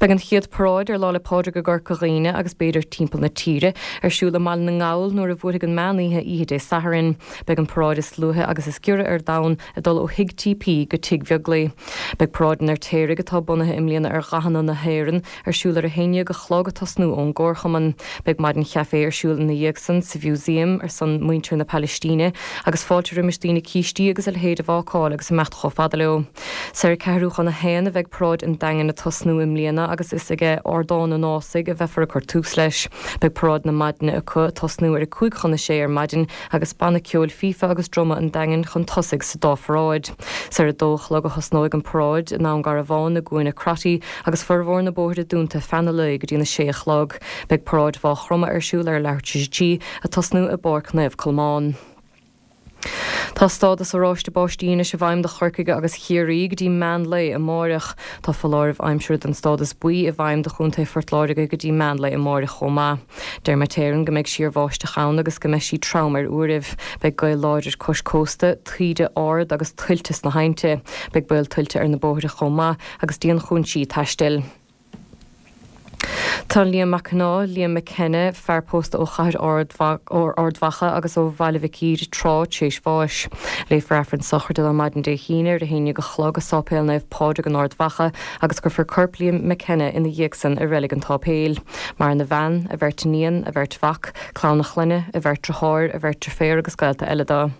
Beidh an chéad paráid ar Lá 'le Pádraig i gCorca Dhuibhne agus b'fhéidir timpeall na tíre ar siúl i mBaile na nGall nuair a bhuailfidh an meán oíche oíche Dé Sathairn. Beidh an paráid is luaithe agus is giorra ar domhan ag dul ó Thigh T P go Tigh Bheaglaoich. Beidh paráid an Fheirtéaraigh, atá bunaithe i mbliana ar dhathanna na hÉireann, ar siúl ar a haon déag a chlog ag tosnú ón gComharchumann. Beidh maidin chaifé ar siúl ina dhiaidh san sa Mhúsaem ar son muintir na Palaistíne agus fáilte roimis daoine cístí agus a leithéid a bhácáil agus imeacht chomh fada leo. Is ar ceathrú chun a haon a bheidh paráid an Daingin ag tosnú i mbliana agus is ag Ardán an Ásaigh a bheifear ag cur tús leis. Beidh paráid na maidine acu ag tosnú ar a cúig chun a sé ar maidin agus banna ceoil fífe agus druma an Daingin chun tosaigh sa dá pharáid. Is ar a dó a chlog a thosnóidh an paráid i nDún Garbhán i gCúinne Crotty agus formhór na bóithre dúnta feadh na lae go dtí na sé a chlog. Beidh paráid Mhaigh Chromtha ar siúl ar leathuair tar éis a trí ag tosnú i bPáirc Naomh Colmán. Tá stádas oráiste báistí anois i bhfeidhm do Chorcaigh agus Chiarraí go dtí meán lae amáireach. Tá foláireamh aimsire den stádas buí i bhfeidhm do Chontae Phort Láirge go dtí meán lae amáireach chomh maith. Deir Met Éireann go mbeidh síorbháisteach ann agus go mbeidh sí trom ar uairibh. Beidh gaoth láidir cois cósta, taoide ard agus tuilte sna haibhnte. Beidh baol tuilte ar na bóithre chomh maith agus dianchúinsí taistil. Tá Liam Mac Ná, Liam McKenna, fear pósta ó chathair Ard Mhacha agus ó Bhaile Mhic Íre tráth tar éis bháis. Léifear Aifreann sochraide dó maidin Dé hAoine ar a haon déag a chlog i Sáipéal Naomh Pádraig in Ard Mhacha agus cuirfear corp Liam McKenna ina dhiaidh san i Reilig an tSáipéil. Maireann a bhean, a bheirt iníon, a bheirt mhac, clann a chlainne, a bheirt deartháir, a bheirt deirféar agus gaolta eile dó.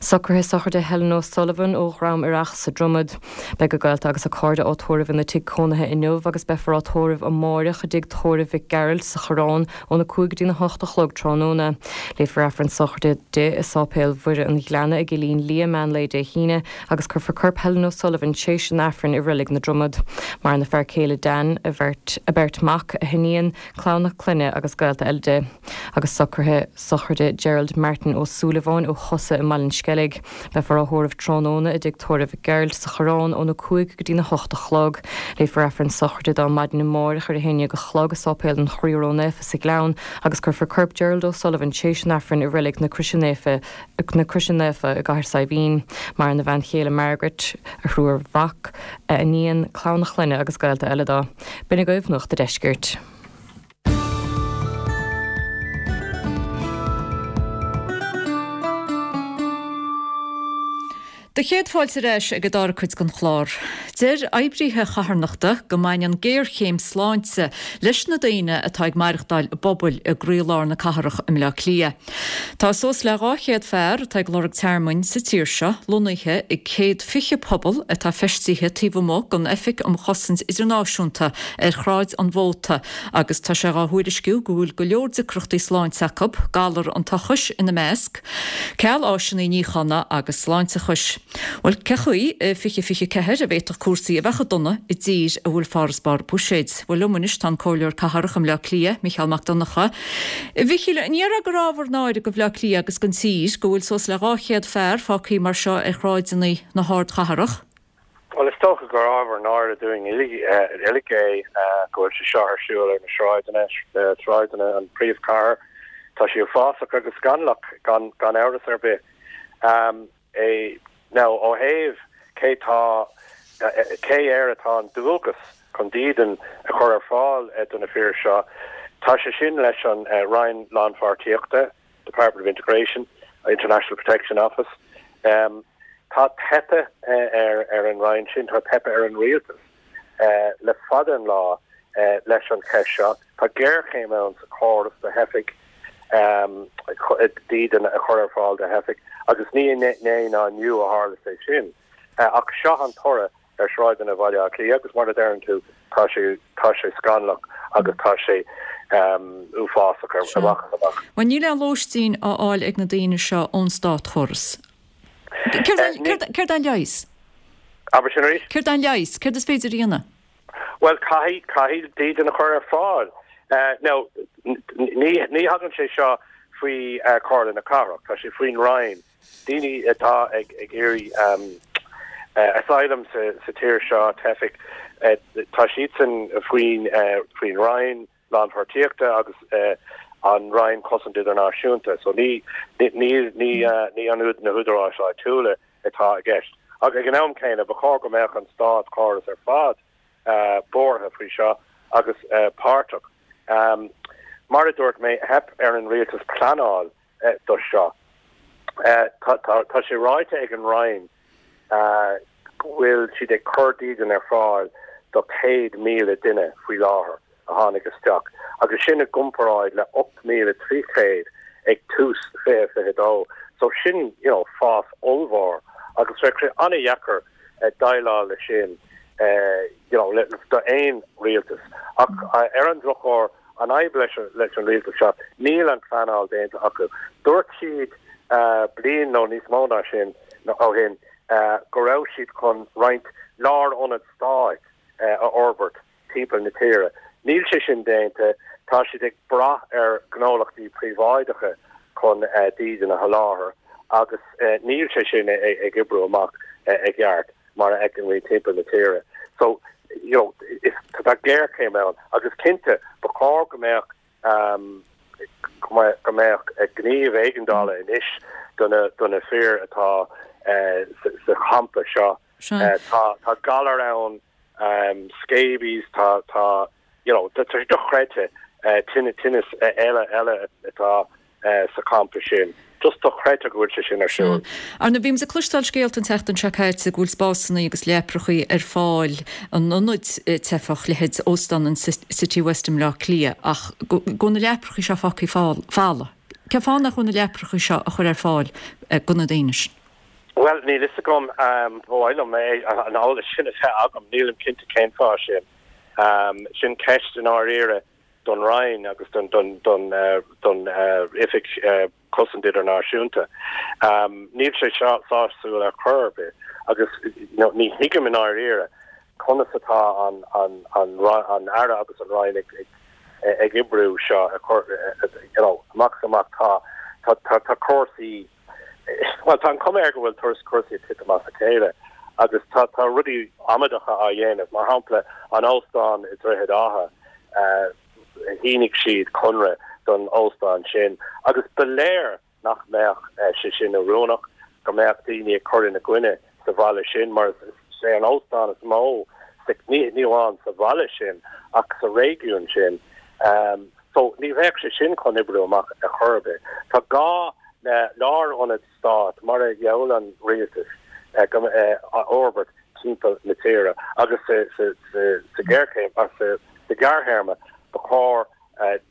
Socruithe sochraide Helen O'Sullivan ó Dhrom Ireach sa Dromad. Beidh a gaolta agus a cairde á tórramh ina tigh cónaithe inniu agus beifear á tórramh amáireach i dtigh tórraimh Mhic Gearailt sa Choireán óna cúig go dtí na hocht a chlog tráthnóna. Léifear Aifreann sochraide di i Sáipéal Mhuire an Ghleanna i gCillín Liath meán lae Dé hAoine agus cuirfear corp Helen O'Sullivan tréis an Aifrinn i Reilig na Dromad. Maireann a fear céile Dan, a bheirt a beirt mac, a hiníon, clann a clainne agus gaolta eile di. Agus socruithe sochraide Gerald Martin Ó Súilleabháin ó Chosa i mBaile an Sceilg. Beifear á thórramh tráthnóna i dtigh tórraimh Mhic Gearailt sa Choireán óna cúig go dtí na hocht a chlog. Léifear Aifreann sochraide dó maidin amárach ar a haon déag a chlog i Sáipéal an Chroí Ró-Naofa sa Ghleann agus cuirfear corp Gerald O'Sullivan tréis an Aifrinn i Reilig na Croise Naofa na Croise Naofa i gCathair Saidhbhín. Maireann a bhean chéile Margaret, a thriúr mhac, a iníon, clann a chlainne agus gaolta eile dó. B'in agaibh Nuacht an Deiscirt. Do chéad fáilte ar ais ag an dara cuid den chlár. Deir oibrithe charthanachta go mbaineann géarchéim sláinte leis na daoine atá ag maireachtáil i bpobail i gcroílár na cathrach i mBleá Cliath. Tá suas le dhá chéad fear atá ag lorg tearmainn sa tír seo lonnaithe i céad fiche puball atá feistithe taobh amuigh den Oifig um Chosaint Idirnáisiúnta ar Shráid an Mhóta agus tá sé dhá thuairisciú go bhfuil go leor deacrachtaí sláinte acu, galar an tochais ina measc, ceal áiseanna níochána agus sláinteachais. Bhuel, cé chaoi i fiche fiche ceathair a bhféadfadh cúrsaí a bheith chomh dona i dtír a bhfuil farasbarr buiséid? Bhuel, liom anois tá an Comhairleoir Cathrach i mBleá Cliath, Micheál Mac Donncha. A Mhichíl, an ndéarfá gur ábhar náire do Bhleá Cliath agus don tír go bhfuil suas le dhá chéad fear fágtha mar seo ar shráideanna na hardchathrach? Bhuel, is dócha gur ábhar náire dúinn uilig é go bhfuil sé seo ar siúl ar na sráideanna, sráideanna an phríomhchathair. Tá sé uafásach agus scannalach gan gan amhras ar bith. É now ó thaobh cé tá cé air atá an dualgas chun dídean a chur ar fáil do na fir seo, tá sé sin leis an Roinn Lánpháirtíochta, Department of Integration, International Protection Office. Tá teipthe ar ar an Roinn sin, tá teipthe ar an rialtas le fada an lá leis an cheist seo. Tá géarchéim ann sa chóras do theifigh. dídean a chur ar fáil do theifigh agus ní inné ná inniu a tharla sé sin. Ach seo an toradh ar shráideanna Bhaile Átha Cliath agus mar a deireann tú tá sé tá sé scannalach agus tá sé uafásach ar amach is amach. Bhuel níl aon lóistín á fháil ag na daoine seo ón státchóras. Céard é an leigheas? Abair sin arís? Céard é an leigheas? Céard is féidir a dhéanamh? Bhuel caithfidh caithfidh dídean a chur ar fáil. Now ní ní thagann sé seo faoi Chomhairle na Cathrach, tá sé faoin Roinn. Daoine atá ag ag iarraidh asylum sa sa tír seo, teifigh, tá siadsan faoin faoin Roinn Lánpháirtíochta agus an Roinn Cosaint Idirnáisiúnta. So ní ní ní ní an na húdaráis áitiúla atá i gceist. Ach ag an am céanna ba chóir go mbeadh an státchóras ar fad buartha faoi seo agus páirteach. Mar a dúirt mé, theip ar an rialtas pleanáil do seo. Tá sé ráite ag an Roinn go bhfuil siad ag cur dídean ar fáil do céad míle duine faoi láthair a tháinig isteach, agus sin i gcomparáid le ocht míle trí chéad ag tús fiche fiche dó. So sin you know fás ollmhór agus bheadh sé an-dheacair déileáil leis sin you know le d'aon rialtas. Ach ar an drochuair, an fhadhb leis leis an rialtas seo, níl an pleanáil déanta acu. Dúirt siad bliain nó níos mó ná sin ó shin go raibh siad chun roinnt lárionad stáit a fhorbairt timpeall na tíre. Níl sé sin déanta, tá siad ag brath ar ghnólachtaí príobháideacha chun dídean a sholáthar agus níl sé sin ag oibriú amach i gceart mar a fheiceann muid timpeall na tíre. So, you know, is tá géarchéim ann agus cinnte ba chóir go mbeadh go mbeadh gníomh éigeandála anois do na do na fir atá sa champa seo. Tá tá galar ann, scabies, tá tá you know, tá sé dochreidte tinneas eile eile atá sa champa sin. Just dochreidte go bhfuil sé sin ar siúl. Ar ndóigh, bhí muid ag cloisteáil scéalta an tseachtain seo caite go bhfuil spásanna agus leaprachaí ar fáil in ionaid teifeach, leithéid Óstán an Citywest i mBleá Cliath, ach go bhfuil na leaprachaí seo fágtha folamh. Cén fáth nach bhfuil na leaprachaí seo á chur ar fáil do na daoine sin? Bhuel, níl fhios agam. Ba mhaith liom an eolas sin a bheith agam. Nílim cinnte cén fáth sin. Sin ceist i ndáiríre don Roinn agus don don don don Oifig Cosaint Idirnáisiúnta. Níl sé seo sásúil ar chor ar bith agus ní thuigim i ndáiríre conas atá an an an an Aire agus an Roinn ag ag oibriú seo a chur you know amach is amach tá tá tá tá cúrsaí bhuel tá an chuma air go bhfuil turas cúrsaí ag titim as a chéile agus tá tá rudaí amaideacha á dhéanamh mar shampla an óstán i Droichead Átha shínigh siad conradh don óstán sin agus ba léir nach mbeadh sé sin oiriúnach, go mbeadh daoine ag cur ina gcoinne sa bhaile sin mar is é an óstán is mó sa, ní amháin sa bhaile sin ach sa réigiún sin. So ní bheadh sé sin chun oibriú amach ar chor ar bith. Tá gá le lárionad stáit mar a gheall an rialtas a fhorbairt timpeall na tíre agus sa ghéarchéim, sa ghearrthéarma ba chóir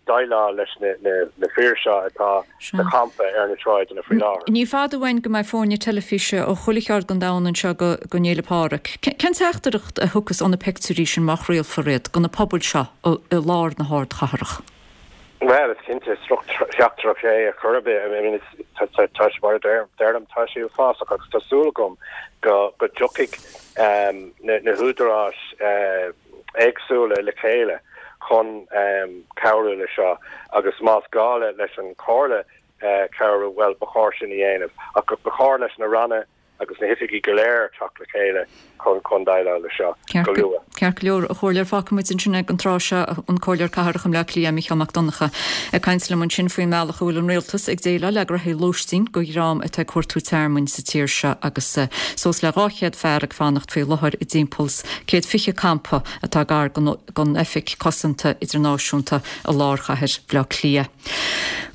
déileáil leis na fir seo atá sa champa ar na sráideanna faoi láthair. Ní fada uainn go mbeidh foirne teilifíse ó chuile cheard den domhan anseo go don Fhéile Pádraig. Cén teachtaireacht a thiocfas ó na pictiúirí sin má chraolfar iad do na pobail seo i lár na hardchathrach? Bhuel, is cinnte, is droch-theachtaireacht é ar chor ar bith. I mean, tá sé, mar a deirim, tá sé uafásach agus tá súil agam go dtiocfaidh na húdaráis éagsúla le chéile chun cabhrú le seo agus más gá leis an Chomhairle cabhrú, bhuel, ba chóir sin a dhéanamh. Ach ba chóir leis na ranna agus na hoifigí go léir teacht le chéile chun chun déileáil le seo go luath. Ceart go leor, a Chomhairleoir, fágfaidh muid ansin ag an tráth seo an Comhairleoir Cathrach i mBleá Cliath, Mícheál Mac Donncha, ag caint liom ansin faoin mbealach a bhfuil an Rialtas ag déileáil le graithí lóistín do dhream atá ag cuartú tearmainn sa tír seo agus suas le dhá chéad fear ag fanacht faoi láthair i dtimpeall 's céad fiche campa atá gar don Oifig Cosanta Idirnáisiúnta i lár chathair Bhaile Átha Cliath.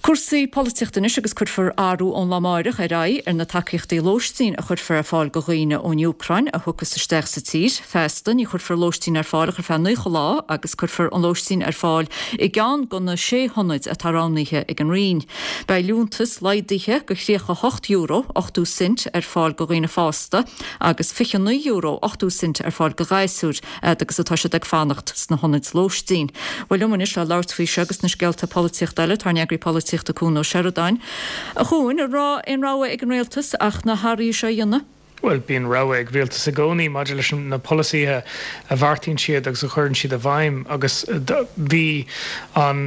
Cúrsaí polaitíochta anois agus cuirfear athrú ón lá amáireach ar aghaidh ar na tacaíochtaí lóistín a chuirfear ar fáil go dhaoine ón Úcráin a thiocfas isteach sa tír. Feasta ní chuirfear lóistín ar fáil ach ar feadh naocha lá agus cuirfear an lóistín ar fáil i gceann de na sé hionaid atá roghnaithe ag an Roinn. Beidh liúntas laghdaithe go tríocha hocht euro ochtó cent ar fáil go dhaoine fásta agus fiche naoi euro ochtó cent ar fáil go ghasúir fhad agus atá siad ag fanacht sna hionaid lóistín. Bhuel liom anois le labhairt faoi seo agus na scéalta polaitíochta eile tá ár n-eagraí polaitíochta Cuan Ó Seireadáin. A Chuain, an raibh aon rogha ag an rialtas ach na hathruithe seo a dhéanamh? Bhuel, bíonn rogha ag rialtas i gcónaí maidir leis na polasaithe a bheartaíonn siad agus a chuireann siad i bhfeidhm agus bhí an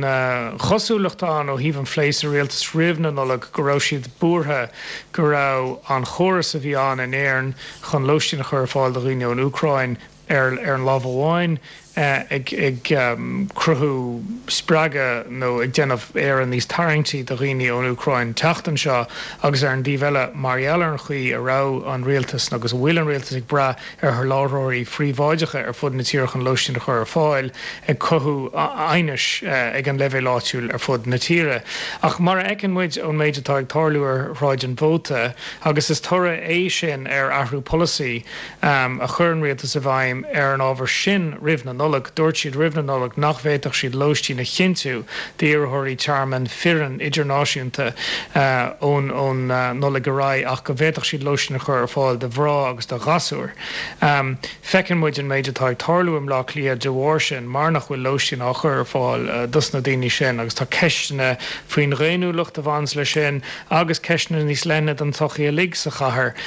chosúlacht ann ó thaobh an phlé sa rialtas roimh na Nollag go raibh siad buartha go raibh an chóras a bhí ann in Éirinn chun lóistín a chur ar fáil do dhaoine ón Úcráin ar an lámh amháin, ag cruthú spreagadh nó ag déanamh Éire níos tarraingtí do dhaoine ón Úcráin teacht anseo agus ar an dtaobh eile, mar gheall ar an chaoi a raibh an rialtas agus a bhfuil an rialtas ag brath ar sholáthróirí phríobháideacha ar fud na tíre chun lóistín a chur ar fáil, ag cothú aighnis ag an leibhéal áitiúil ar fud na tíre. Ach mar a fheiceann muid ón méid atá ag tarlú ar Shráid an Mhóta, agus is toradh é sin ar athrú polasaí a chuir an rialtas i bhfeidhm ar an ábhar sin roimh na Nollag, dúirt siad roimh na Nollag nach bhféadfadh siad lóistín a chinntiú d'iarrthóirí tearmainn fireann idirnáisiúnta ón ón Nollaig ar aghaidh ach go bhféadfadh siad lóistín a chur ar fáil do mhná agus do ghasúir. Feiceann muid an méid atá ag tarlú i mBleá Cliath de bharr sin mar nach bhfuil lóistín á chur ar fáil dos na daoine sin agus tá ceisteanna faoin dhaonnúlacht a bhaineanns leis sin agus ceisteanna níos leithne don tsochaí uilig sa chathair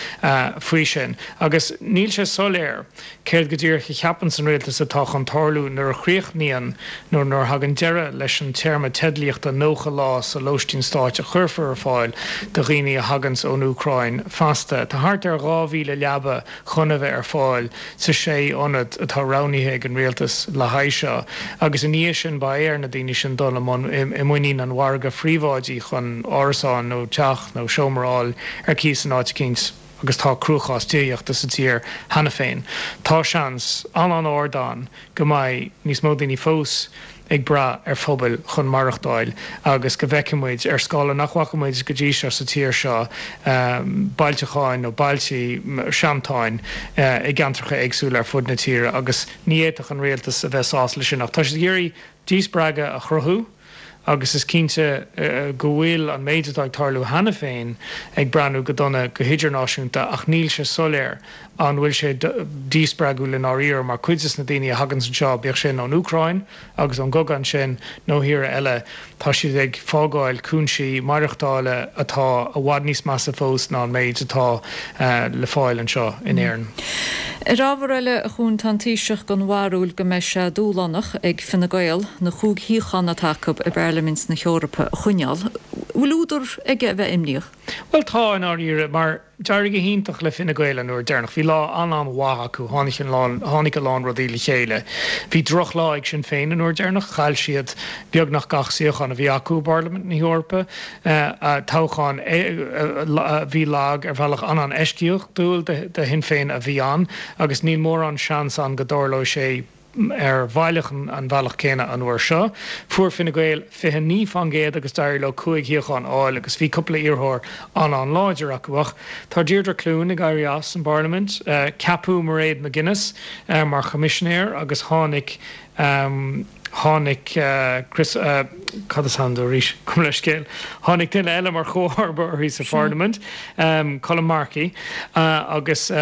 faoi sin agus níl sé soiléir céard go díreach a cheapanns an rialtas atá chun tarlú nuair a chríochnaíonn nó nuair a thagann deireadh leis an téarma teidlíochta nócha lá sa lóistín stáit a chuirfear ar fáil do dhaoine a thaganns ón Úcráin feasta. Tá thart ar dhá mhíle leaba chun a bheith ar fáil sa sé ionad atá roghnaithe ag an rialtas le haghaidh seo agus i ndiaidh sin beidh ar na daoine sin dul i mbun i muinín an mhargaidh phríobháidigh chun árasán nó teach nó seomra a fháil ar cíos in áit eicínt. agus tá cruachás tithíochta sa tír cheana féin. Tá seans an-an-ard ann go mbeidh níos mó daoine fós ag brath ar phobail chun maireachtáil agus go bhfeicfidh muid, ar scála nach bhfaca muid go dtí seo sa tír seo, bailteacháin nó bailtí seantáin i gceantracha éagsúla ar fud na tíre agus ní fhéadfadh an rialtas a bheith sásta leis sin. Ach tá siad ag iarraidh díspreagadh a chruthú. agus is cinnte go bhfuil an méid atá ag tarlú cheana féin ag breathnú go dona go hidirnáisiúnta ach níl sé soiléir an bhfuil sé díspreagúil i ndáiríre mar cuid des na daoine a thaganns anseo, bíodh sin ón Úcráin agus ón gcogadh ansin nó thíortha eile, tá siad ag fágáil cúinsí maireachtála atá i bhfad níos measa fós ná an méid atá le fáil anseo in Éirinn. Ar ábhar eile, a Chuain, tá an Taoiseach den bharúil go mbeidh sé dúshlánach ag Fine Gael na cúig shuíochán atá acu i bParlaimint na hEorpa a choinneáil. Bhfuil údar aige a bheith imníoch? Bhuel tá, i ndáiríre, mar d'éirigh go hiontach le Fine Gael an uair deireanach. Bhí lá an-an-mhaith acu, tháinig an lán, tháinig a lán rudaí le chéile. Bhí drochlá ag Sinn Féin an uair deireanach, chaill siad beagnach gach suíochán a bhí acu i bParlaimint na hEorpa. Toghchán a bhí lag ar bhealach an-an-eisceachtúil do Shinn Féin a bhí ann agus níl mórán seans ann go dtarlóidh sé ar bhealach an bhealach céanna an uair seo. Fuair Fine Gael fiche naoi faoin gcéad agus d'éirigh leo cúig shuíochán a fháil agus bhí cúpla iarrthóir an-an-láidir acu. Ach tá Deirdre Clune ag éirí as an bParlaimint. Ceapadh Mairead McGuinness mar Choimisinéir agus tháinig Tháinig Chris, cad is ainm dó arís? Gabh mo leithscéal. Tháinig duine eile mar chomharba uirthi sa Pharlaimint, Colm Markey, agus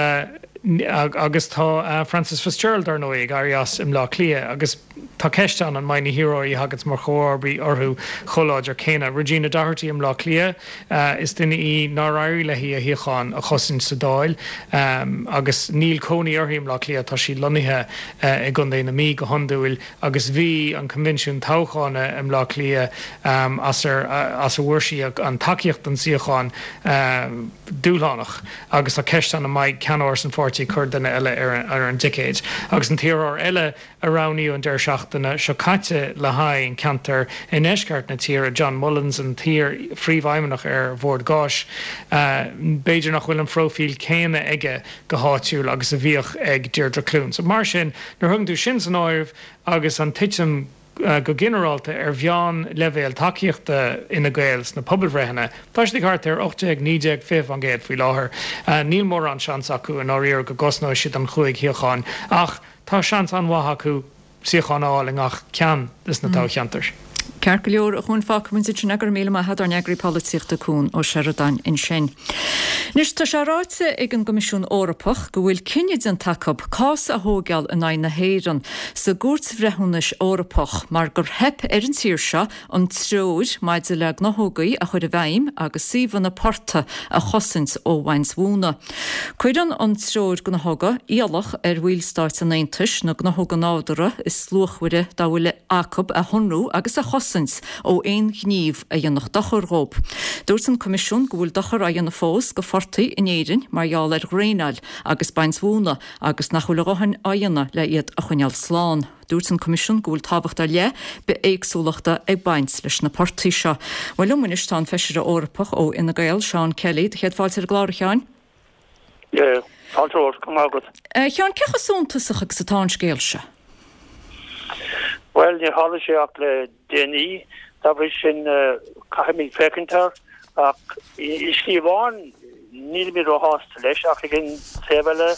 agus tá Frances Fitzgerald, dar ndóigh, ag éirí as i mBleá Cliath agus tá ceist ann an mbeidh na hiarrthóirí a thaganns mar chomharbaí orthu chomh láidir céanna. Regina Doherty i mBleá Cliath, is duine í nár éirigh léi a shuíochán a chosaint sa Dáil agus níl cónaí uirthi i mBleá Cliath, tá sí lonnaithe i gContae na Mí go hiondúil. agus bhí an coinbhinsiún toghcháin i mBleá Cliath, as ar as a bhfuair sí an tacaíocht don suíochán, dúshlánach agus tá ceist ann an mbeidh ceannáras an pháirtí ag cur duine eile ar an dticéad. Agus an t-iarrthóir eile a roghnaíodh an deireadh seachtaine seo caite le haghaidh an ceantar i ndeisceart na tíre, John Mullins, an t-iar-phríomhfheidhmeannach ar Bhord Gáis, b'fhéidir nach bhfuil an phróifíl céanna aige go háitiúil agus a bhíodh ag Deirdre Clune. So mar sin, nuair a thugann tú sin san áireamh agus an titim go ginearálta ar mheánleibhéal tacaíochta Fhine Gael sna pobalbhreitheanna. Tá siad ag thart ar ocht déag, naoi déag, fiche faoin gcéad faoi láthair. Níl mórán seans acu i ndáiríre go gcosnóidh siad an chúig shuíochán ach tá seans an-mhaith acu suíochán a fháil i ngach ceann de na toghcheantair. Ceart go leor, a Chuain, fágfaidh muid ansin é. Go raibh míle maith agat, ár n-eagraí polaitíochta Cuan Ó Seireadáin ansin. Anois, tá sé ráite ag an gCoimisiún Eorpach go bhfuil cinneadh déanta acu cás a thóigeáil in aghaidh na hÉireann sa gCúirt Bhreithiúnais Eorpach mar gur theip ar an tír seo an treoir maidir le gnáthógaí a chur i bhfeidhm agus suíomhanna portaigh a chosaint ó bhaint mhóna. Cuireann an Treoir Gnáthóga iallach ar bhallstáit an Aontais na gnáthóga nádúrtha is luachmhaire dá bhfuil acu a shonrú agus a chosaint ó aon ghníomh a dhéanfadh dochar dhóibh. Dúirt an Coimisiún go bhfuil dochar á dhéanamh fós go phortaigh in Éirinn mar gheall ar dhraenáil agus baint mhóna agus nach bhfuil a dhóthain á dhéanamh le iad a choinneáil slán. Dúirt an Coimisiún go bhfuil tábhacht ar leith bithéagsúlachta ag baint leis na portaigh seo. Bhuel liom anois tá an Feisire Eorpach ó Fhine Gael, Seán Kelly. Do chéad fáilte ar an gclár, a Sheáin. Fáilte romhat, go raibh maith agat. A Sheáin, cé chomh suntasach agus atá an scéal seo? Bhuel, níor tharla sé ach le déanaí, dá bhrí sin caithfimid féachaint air, ach i slí amháin nílimid róshásta leis, ach ag an taobh eile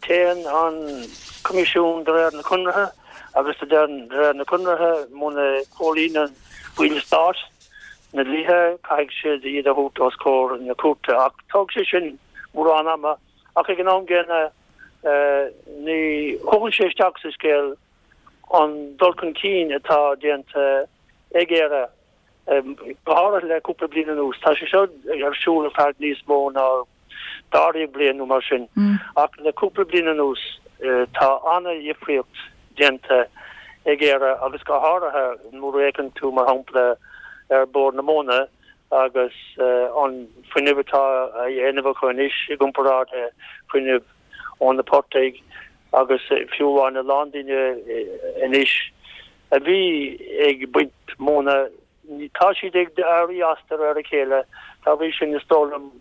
téann an Coimisiún de réir na conartha agus de réir na conartha muna gcomhlíonann baill stáit na dlíthe caithfidh siad iad a thabhairt os comhair na cúirte ach tógfaidh sé sin mórán ama ach ag an am gcéanna ní thugann sé isteach sa scéal an dul chun cinn atá déanta ag Éire, go háirithe le cúpla bliain anuas. Tá sé seo ar siúl ar feadh níos mó ná dáréag bliain nó mar sin, ach le cúpla bliain anuas tá an-dhifríocht déanta ag Éire agus go háirithe nuair a fhéachann tú, mar shampla, ar Bord na Móna agus an fuinneamh atá á dhéanamh acu anois i gcomparáid le fuinneamh ó na portaigh agus fiú amháin a lán daoine anois a bhí ag baint móna, tá siad ag éirí as de réir a chéile. Dá bhrí sin, is dóigh liom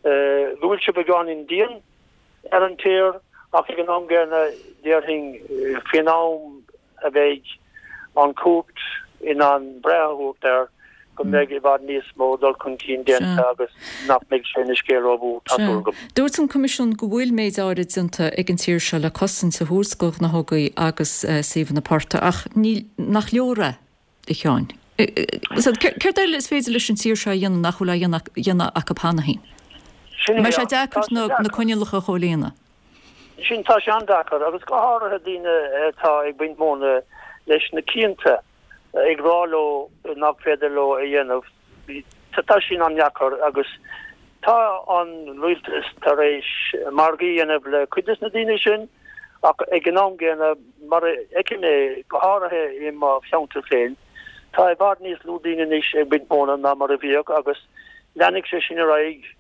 go bhfuil sé beagáinín dian ar an tír ach ag an am gcéanna déarfainn faoin am a bheidh an chúirt in ann breith a thabhairt air go mbeidh i bhfad níos mó dul chun cinn déanta agus nach mbeidh sé ina scéal rómhór, tá súil agam. Dúirt an Coimisiún go bhfuil méid áirid déanta ag an tír seo le cosaint a thabhairt do ghnáthógaí agus suíomhanna portaigh ach níl, nach leor é, a Sheáin. Céard eile is féidir leis an tír seo a dhéanamh nach bhfuil á dhéanamh acu cheana féin? An mbeidh sé deacair na coinníollacha a chomhlíonadh? Sin, tá sé an-deacair, agus go háirithe daoine atá ag baint móna leis na cianta ag rá leo nach féidir leo a dhéanamh. Tá sin an-deacair agus tá an rialtas tar éis margaí a dhéanamh le cuid de na daoine sin ach ag an am gcéanna, mar a fheicim é, go háirithe i mo cheantar féin, tá i bhfad níos lú daoine anois ag baint móna ná mar a bhíodh agus leanfaidh sé sin ar aghaidh.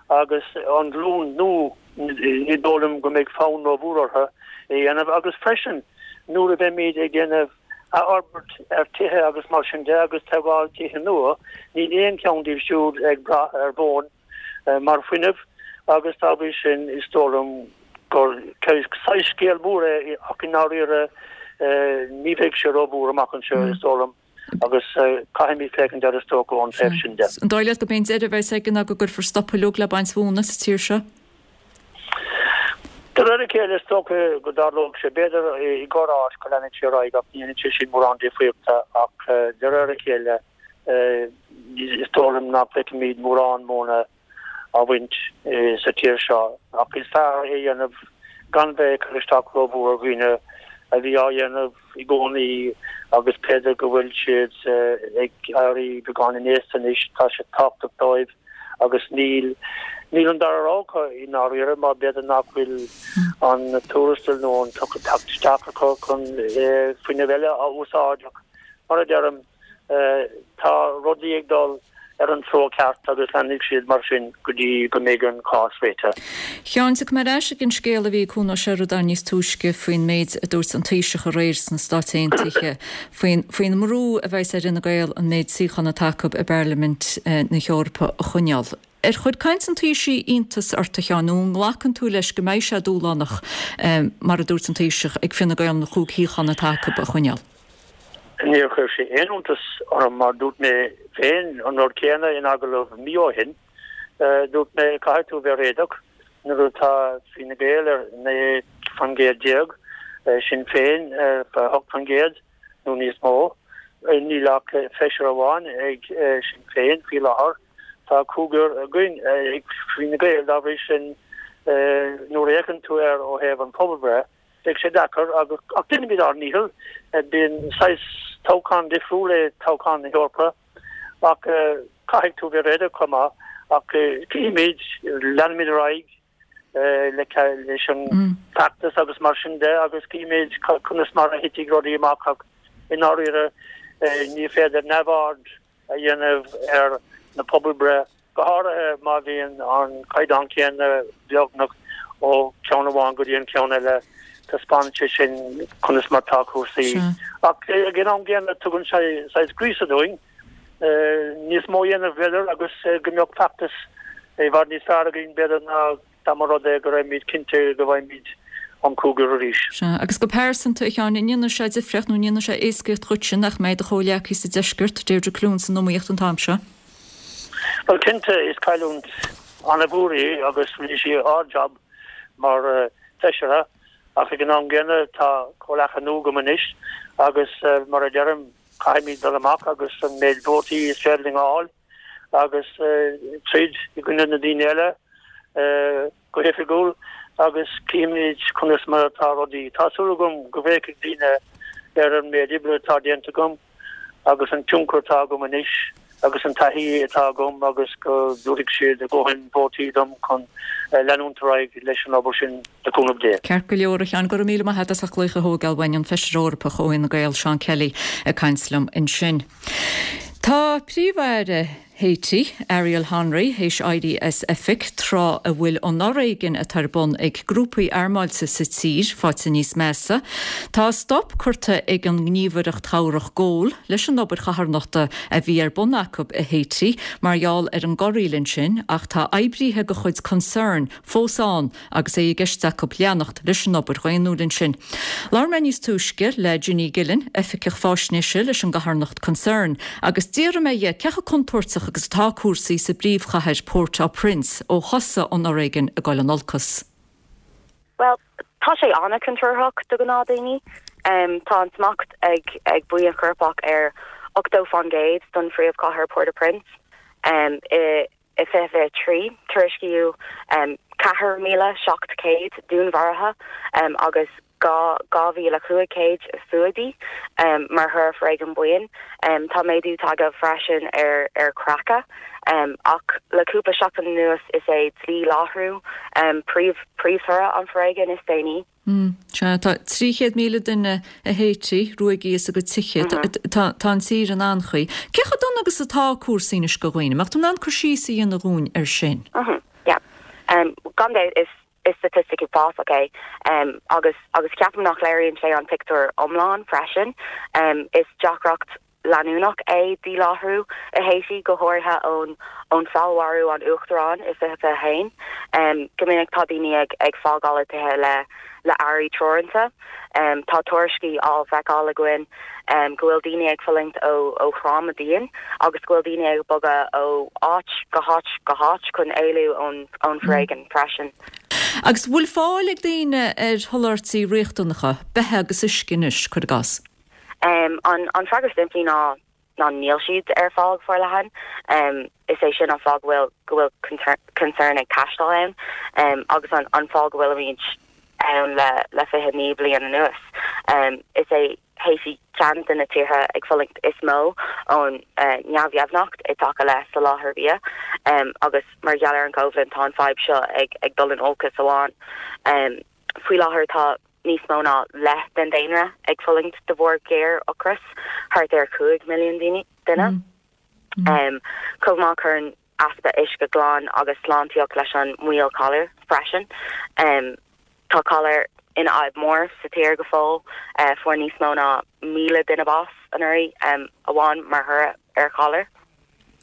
agus an ghlúin nua, ní dóigh liom go mbeidh fonn rómhór orthu é a dhéanamh agus freisin nuair a bheimid ag déanamh athfhorbairt ar tithe agus mar sin de agus tógáil tithe nua, níl aon cheann díobh siúd ag brath ar mhóin mar fuinneamh agus dá bhrí sin is dóigh liom gur saghas scéal mór é ach i ndáiríre ní bheidh sé rómhór amach anseo is dóigh liom. agus caithfimid féachaint air is dócha ón taobh sin de. An dóigh leat gurb é an deireadh a bheas aige ná go gcuirfear stop uilig le baint mhóna sa tír seo? De réir a chéile is dócha go dtarlódh sé. B'fhéidir i gcorr-áit go leanfaidh sé ar aghaidh ach ní dhéanfaidh sé sin mórán difríochta ach de réir a chéile is dóigh liom nach bhfeicfimid mórán móna á bhaint sa tír seo ach is fearr é a dhéanamh gan bheith ag cur isteach rómhór ar dhaoine a bhí á dhéanamh i gcónaí agus b'fhéidir go bhfuil siad ag éirí beagáinín aosta anois, tá sé tábhachtach dóibh agus níl níl an dara rogha acu i ndáiríre mar b'fhéidir nach bhfuil an tuarastal nó an teacht isteach acu chun fuinneamh eile a úsáid ach mar a deirim Tá rudaí ag dul ar an treo ceart agus leanfaidh siad mar sin go dtí go mbeidh an cás réitithe. A Sheáin, tiocfaidh mé ar ais ag an scéal a bhí ag Cuan Ó Seireadáin níos túisce faoin méid a dúirt an Taoiseach aréir sna Stáit Aontaithe faoin faoin mbrú a bheas ar Fhine Gael an méid suíochán atá acu i bParlaimint na hEorpa a choinneáil. Ar chuir caint an Taoisigh iontas ort, a Sheáin, nó an nglacann tú leis go mbeidh sé dúshlánach, mar a dúirt an Taoiseach, ag Fine Gael na cúig shuíochán atá acu a choinneáil? Níor chuir sé aon iontas orm mar dúirt mé féin an rud céanna in agallamh mí ó shin. Dúirt mé caithfidh tú bheith réadach nuair atá Fine Gael ar naoi faoin gcéad déag, Sinn Féin ar a hocht faoin gcéad nó níos mó. Níl ach feisire amháin ag Sinn Féin faoi láthair. Tá cúigear againn ag Fine Gael dá bhrí sin nuair a fhéachann tú air ó thaobh an phobalbhreith, Beidh sé deacair agus ach déanfaimid ár ndícheall. Bíonn saghas toghchán difriúil é toghchán na hEorpa ach caithfidh tú bheith réadach chomh maith ach cífimid, leanfaimid ar aghaidh leis an bhfeachtas agus mar sin de agus cífimid conas mar a thitfidh rudaí amach ach i ndáiríre ní féidir neamhaird a dhéanamh ar na pobalbhreith, go háirithe má bhíonn an caighdeán céanna beagnach ó cheann amháin go dtí an ceann eile, taispeánann sé sin conas mar tá cúrsaí. Ach ag an am gcéanna tugann sé saghas gríosadh dúinn níos mó a dhéanamh b'fhéidir agus go mbeadh feachtas i bhfad níos fearr againn b'fhéidir ná dá mba rud é go raibhimid cinnte go bhfaighimid an cúigear arís. Sea, agus go pearsanta, a Sheáin, an ndéanfaidh sé difríocht nó an ndéanfaidh sé éascaíocht dhuitse nach mbeidh do chomhghleacaí sa deisceart, Deirdre Clune, san iomaíocht an t-am seo? Bhuel, cinnte, is cailliúint an-mhór í agus rinne sí ard-jab mar Feisire ach ag an am gcéanna tá comhghleacaí nua agam anois agus mar a deirim, caithfimid dul amach agus an méid vótaí is féidir linn a fháil. agus troid i gcoinne na daoine eile go hoifigiúil agus cífimid conas mar atá rudaí. Tá súil agam go bhféachfaidh daoine ar an méid oibre atá déanta agam agus an tionchar atá agam anois agus an taithí atá agam agus go dtabharfaidh siad a ndóthain vótaí dom chun leanúint ar aghaidh leis an obair sin le cúnamh Dé. Ceart go leor, a Sheáin, go raibh míle maith agat as ucht glaoch a thógáil uainn, an Feisire Eorpach ó Fhine Gael, Seán Kelly, ag caint liom ansin. Tá Príomh-Aire Haiti, Ariel Henry, théis éirí as oifig tráth a bhfuil an fhoréigean atá ar bun ag grúpaí armáilte sa tír faighte níos measa. Tá stop curtha ag an ngníomhaireacht chabhrach Goal leis an obair charthanachta a bhí ar bun acu i Haiti mar gheall ar an gcorraíl ansin ach tá oibríthe de chuid Concern fós ann agus é i gceist acu leanacht leis an obair dhaonnúil ansin. Labhair mé níos túisce le Ginny Gillen, Oifigeach Faisnéise leis an gcarthanacht Concern, agus d'fhiafraigh mé dhe cé chomh contúirteach agus atá cúrsaí sa bpríomhchathair Port-au-Prince ó thosaigh an fhoréigean ag dul in olcas. Bhuel, tá sé an-chontúirteach do ghnáthdhaoine. Tá an smacht ag ag buíon choirpeach ar ochtó faoin gcéad den phríomhchathair Port-au-Prince. I I fiche fiche trí, tuairiscíodh ceathair míle seacht céad dúnmharuithe agus dhá dhá mhíle cúig chéad fuadaí mar thoradh foréigean buíon. Tá méadú tagtha freisin ar ar chreachadh, ach le cúpla seachtain anuas is é díláithriú príomh príomhthoradh an foréigin is déanaí. Sea, tá trí chéad míle duine i Haiti ruaigthe as a gcuid tithe. Tá an tír in anchaoi. Cé chomh dona agus atá cúrsaí anois do dhaoine? Mbeadh tú in ann cur síos a dhéanamh dhúinn air sin? Yeah. Gan dabht, is is staitistic uafásach é agus agus ceapaim nach léiríonn sé an pictiúr iomlán freisin. Is deacracht leanúnach é díláithriú i Haiti, go háirithe ón ón feallmharú an uachtaráin i fiche fiche haon. Go minic tá daoine ag ag fágáil a dtithe le le earraí teoranta. Tá tuairiscí á bhfeiceáil againn go bhfuil daoine ag fulaingt ó ó thráma dian agus go bhfuil daoine ag bogadh ó áit go háit go háit chun éalú ón ón foréigean freisin. Agus bhfuil fáil ag daoine ar sholáthairtí riachtanacha, beatha agus uisce anois, cuir i gcás? An an freagra simplí ná ná níl siad ar fáil go forleathan. Is é sin an fáth go bhfuil go bhfuil Concern ag taisteal ann agus an an fáth go bhfuilimid ann le le fiche naoi bliain anuas. Is é Haiti ceann de na tíortha ag fulaingt is mó ón neamhdheimhneacht i dtaca le soláthar bia agus mar gheall ar an gcoimhlint tá an fadhb seo ag ag dul in olcas amháin. Faoi láthair tá níos mó ná leath den daonra ag fulaingt de bharr géar-ocras, thart ar chúig milliún duine. Chomh maith cuireann easpa uisce glan agus sláintíoch leis an mbaol calair freisin. Tá calar ina fhadhb mór sa tír go fóill. Fuair níos mó ná míle duine bás anuraidh amháin mar thoradh ar chalar.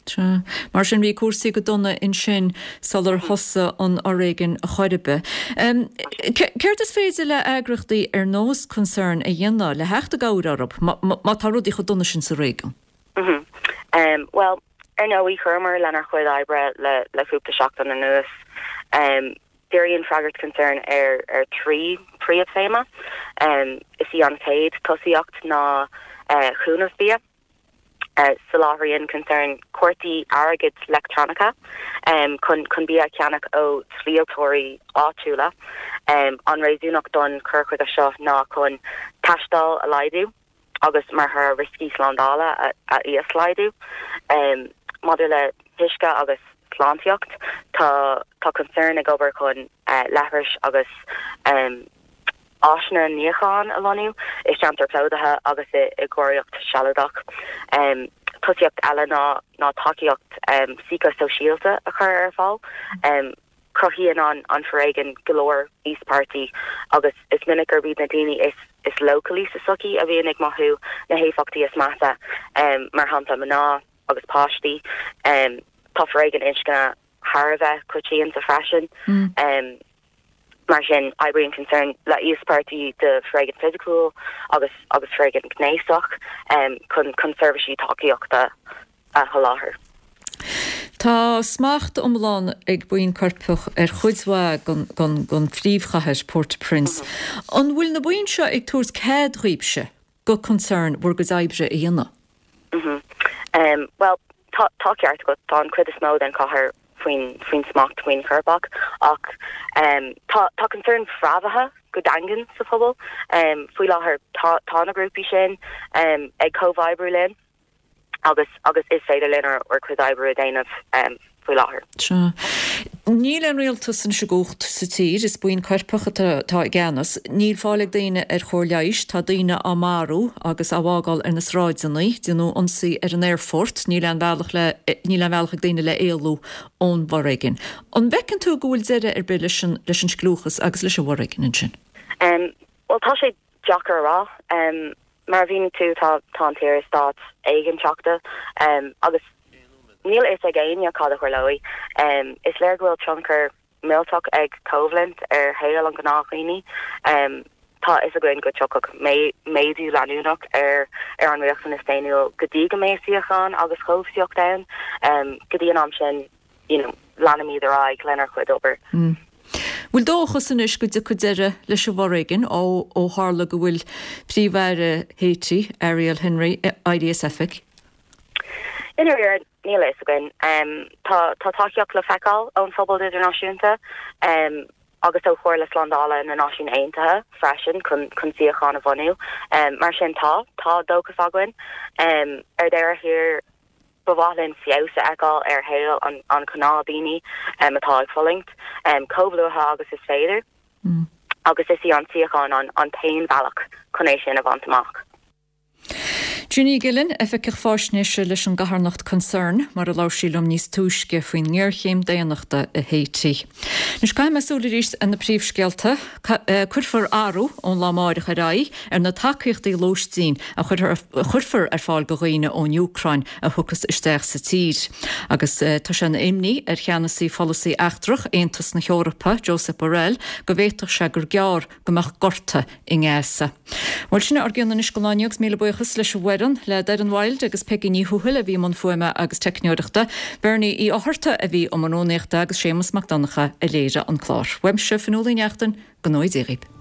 Sea. Mar sin bhí cúrsaí go dona ansin sular thosaigh an fhoréigean a chor ar bith. Céard is féidir le eagraíochtaí ar nós Concern a dhéanamh le theacht i gcabhair orthu má tá rudaí chomh dona sin sa réigiún? Bhuel, ar ndóigh, chuireamar lenár chuid oibre le le cúpla seachtain anuas. Díríonn freagairt Concern ar ar trí príomhthéama. Is í an chéad tosaíocht ná cúnamh bia. Soláthraíonn Concern cártaí airgid leictreonacha chun chun bia a cheannach ó dhíoltóirí áitiúla. An réasúnacht don chur chuige seo ná chun taisteal a laghdú agus mar thoradh rioscaí slándála a a íoslaghdú. Maidir le huisce agus sláintíocht, tá tá Concern ag obair chun leithris agus áiseanna níocháin a lonnú i gceantair plódaithe agus i i gcóiríocht sealadach. Tosaíocht eile ná ná tacaíocht síceasóisialta a chur ar fáil. Cruthaíonn an an foréigean go leor íospartaigh agus is minic gurb iad na daoine is is leochailí sa tsochaí a bhíonn ag mothú na héifeachtaí is measa, mar shampla mná agus páistí. Tá foréigean inscne thar a bheith coitianta freisin. Mar sin, oibríonn Concern le íospartaigh de foréigean fisiciúil agus agus foréigean gnéasach chun chun seirbhísí tacaíochta a sholáthar. Tá smacht iomlán ag buíon coirpeach ar chuid mhaith den phríomhchathair, Port-au-Prince. An bhfuil na buíon seo ag tabhairt cead dhaoibhse go Concern bhur gcuid oibre a dhéanamh? Bhuel, tá tá ceart agat, tá an chuid is mó den chathair faoin faoin smacht buíon choirpeach ach tá tá Concern fréamhaithe go daingean sa phobal. Faoi láthair tá tá na grúpaí sin ag comhoibriú linn agus agus is féidir linn ár ár gcuid oibre a dhéanamh faoi láthair. Sea. Níl aon rialtas anois i gcumhacht sa tír, is buíon coirpeach atá i gceannas. Níl fáil ag daoine ar chóir leighis, tá daoine á marú agus á bhfágáil ar na sráideanna, déanadh ionsaí ar an aerfort, níl aon bhealach le, níl aon bhealach ag daoine le éalú ón bhforéigean. An bhfeiceann tú go bhfuil deireadh ar bith leis an, leis an scliúchas agus leis an bhforéigean ansin? Bhuel, tá sé deacair a rá. Mar a mhínigh tú, tá, tá an tír i staid éiginnteachta agus níl a fhios ag éinne cad a tharlóidh. Is léir go bhfuil tionchar millteach ag coimhlint ar shaol an ghnáthdhaoine. Tá a fhios againn go dtiocfaidh méadú leanúnach ar ar an riachtanas daonnúil go dtí go mbeidh síocháin agus cobhsaíocht ann. Go dtí an am sin, you know, leanfaimid ar aghaidh lenár gcuid obair. Bhfuil dóchas anois go dtiocfaidh deireadh leis an bhforéigean ó ó tharla go bhfuil Príomh-Aire Haiti, Ariel Henry, éirithe as oifig? I ndáiríre, níl a fhios againn. Tá tá tacaíocht le feiceáil ón phobal idirnáisiúnta agus ó Chomhairle Slándála na Náisiún Aontaithe freisin chun chun síocháin a bhunú. Mar sin tá, tá dóchas againn. Ar deireadh thiar, ba mhaith linn feabhas a fheiceáil ar shaol an an ghnáthdaoine atá ag fulaingt, chomh luath agus is féidir, agus is í an tsíocháin an an t-aon bhealach chun é sin a bhaint amach. Ginny Gillen, Oifigeach Faisnéise leis an gcarthanacht Concern, mar a labhair sí liom níos túisce faoin ngéarchéim daonnachta i Haiti. Anois caithfidh mé súil arís ar na príomhscéalta. Cuirfear athrú ón lá amáireach ar aghaidh ar na tacaíochtaí lóistín a chuirfear ar fáil do dhaoine ón Úcráin a thiocfas isteach sa tír. Agus tá sé ina imní ar cheannasaí pholasaí eachtrach Aontas na hEorpa, Josep Borrell, go bhféadfadh sé gur gearr go mbeadh gorta i nGaza. Bhuel, sin ár gcion anois don lá inniu agus míle buíochas leis an bhfoireann, le Doireann Wilde agus Peigí Ní Thuathail a bhí i mbun fuaime agus teicneoireachta, Bernie Uí Fhátharta a bhí i mbun rúnaíochta agus Séamus Mac Donncha a léirigh an clár. Uaimse, Fionnuala Ní Neachtain, go ngnóthaí Dia dhaoibh.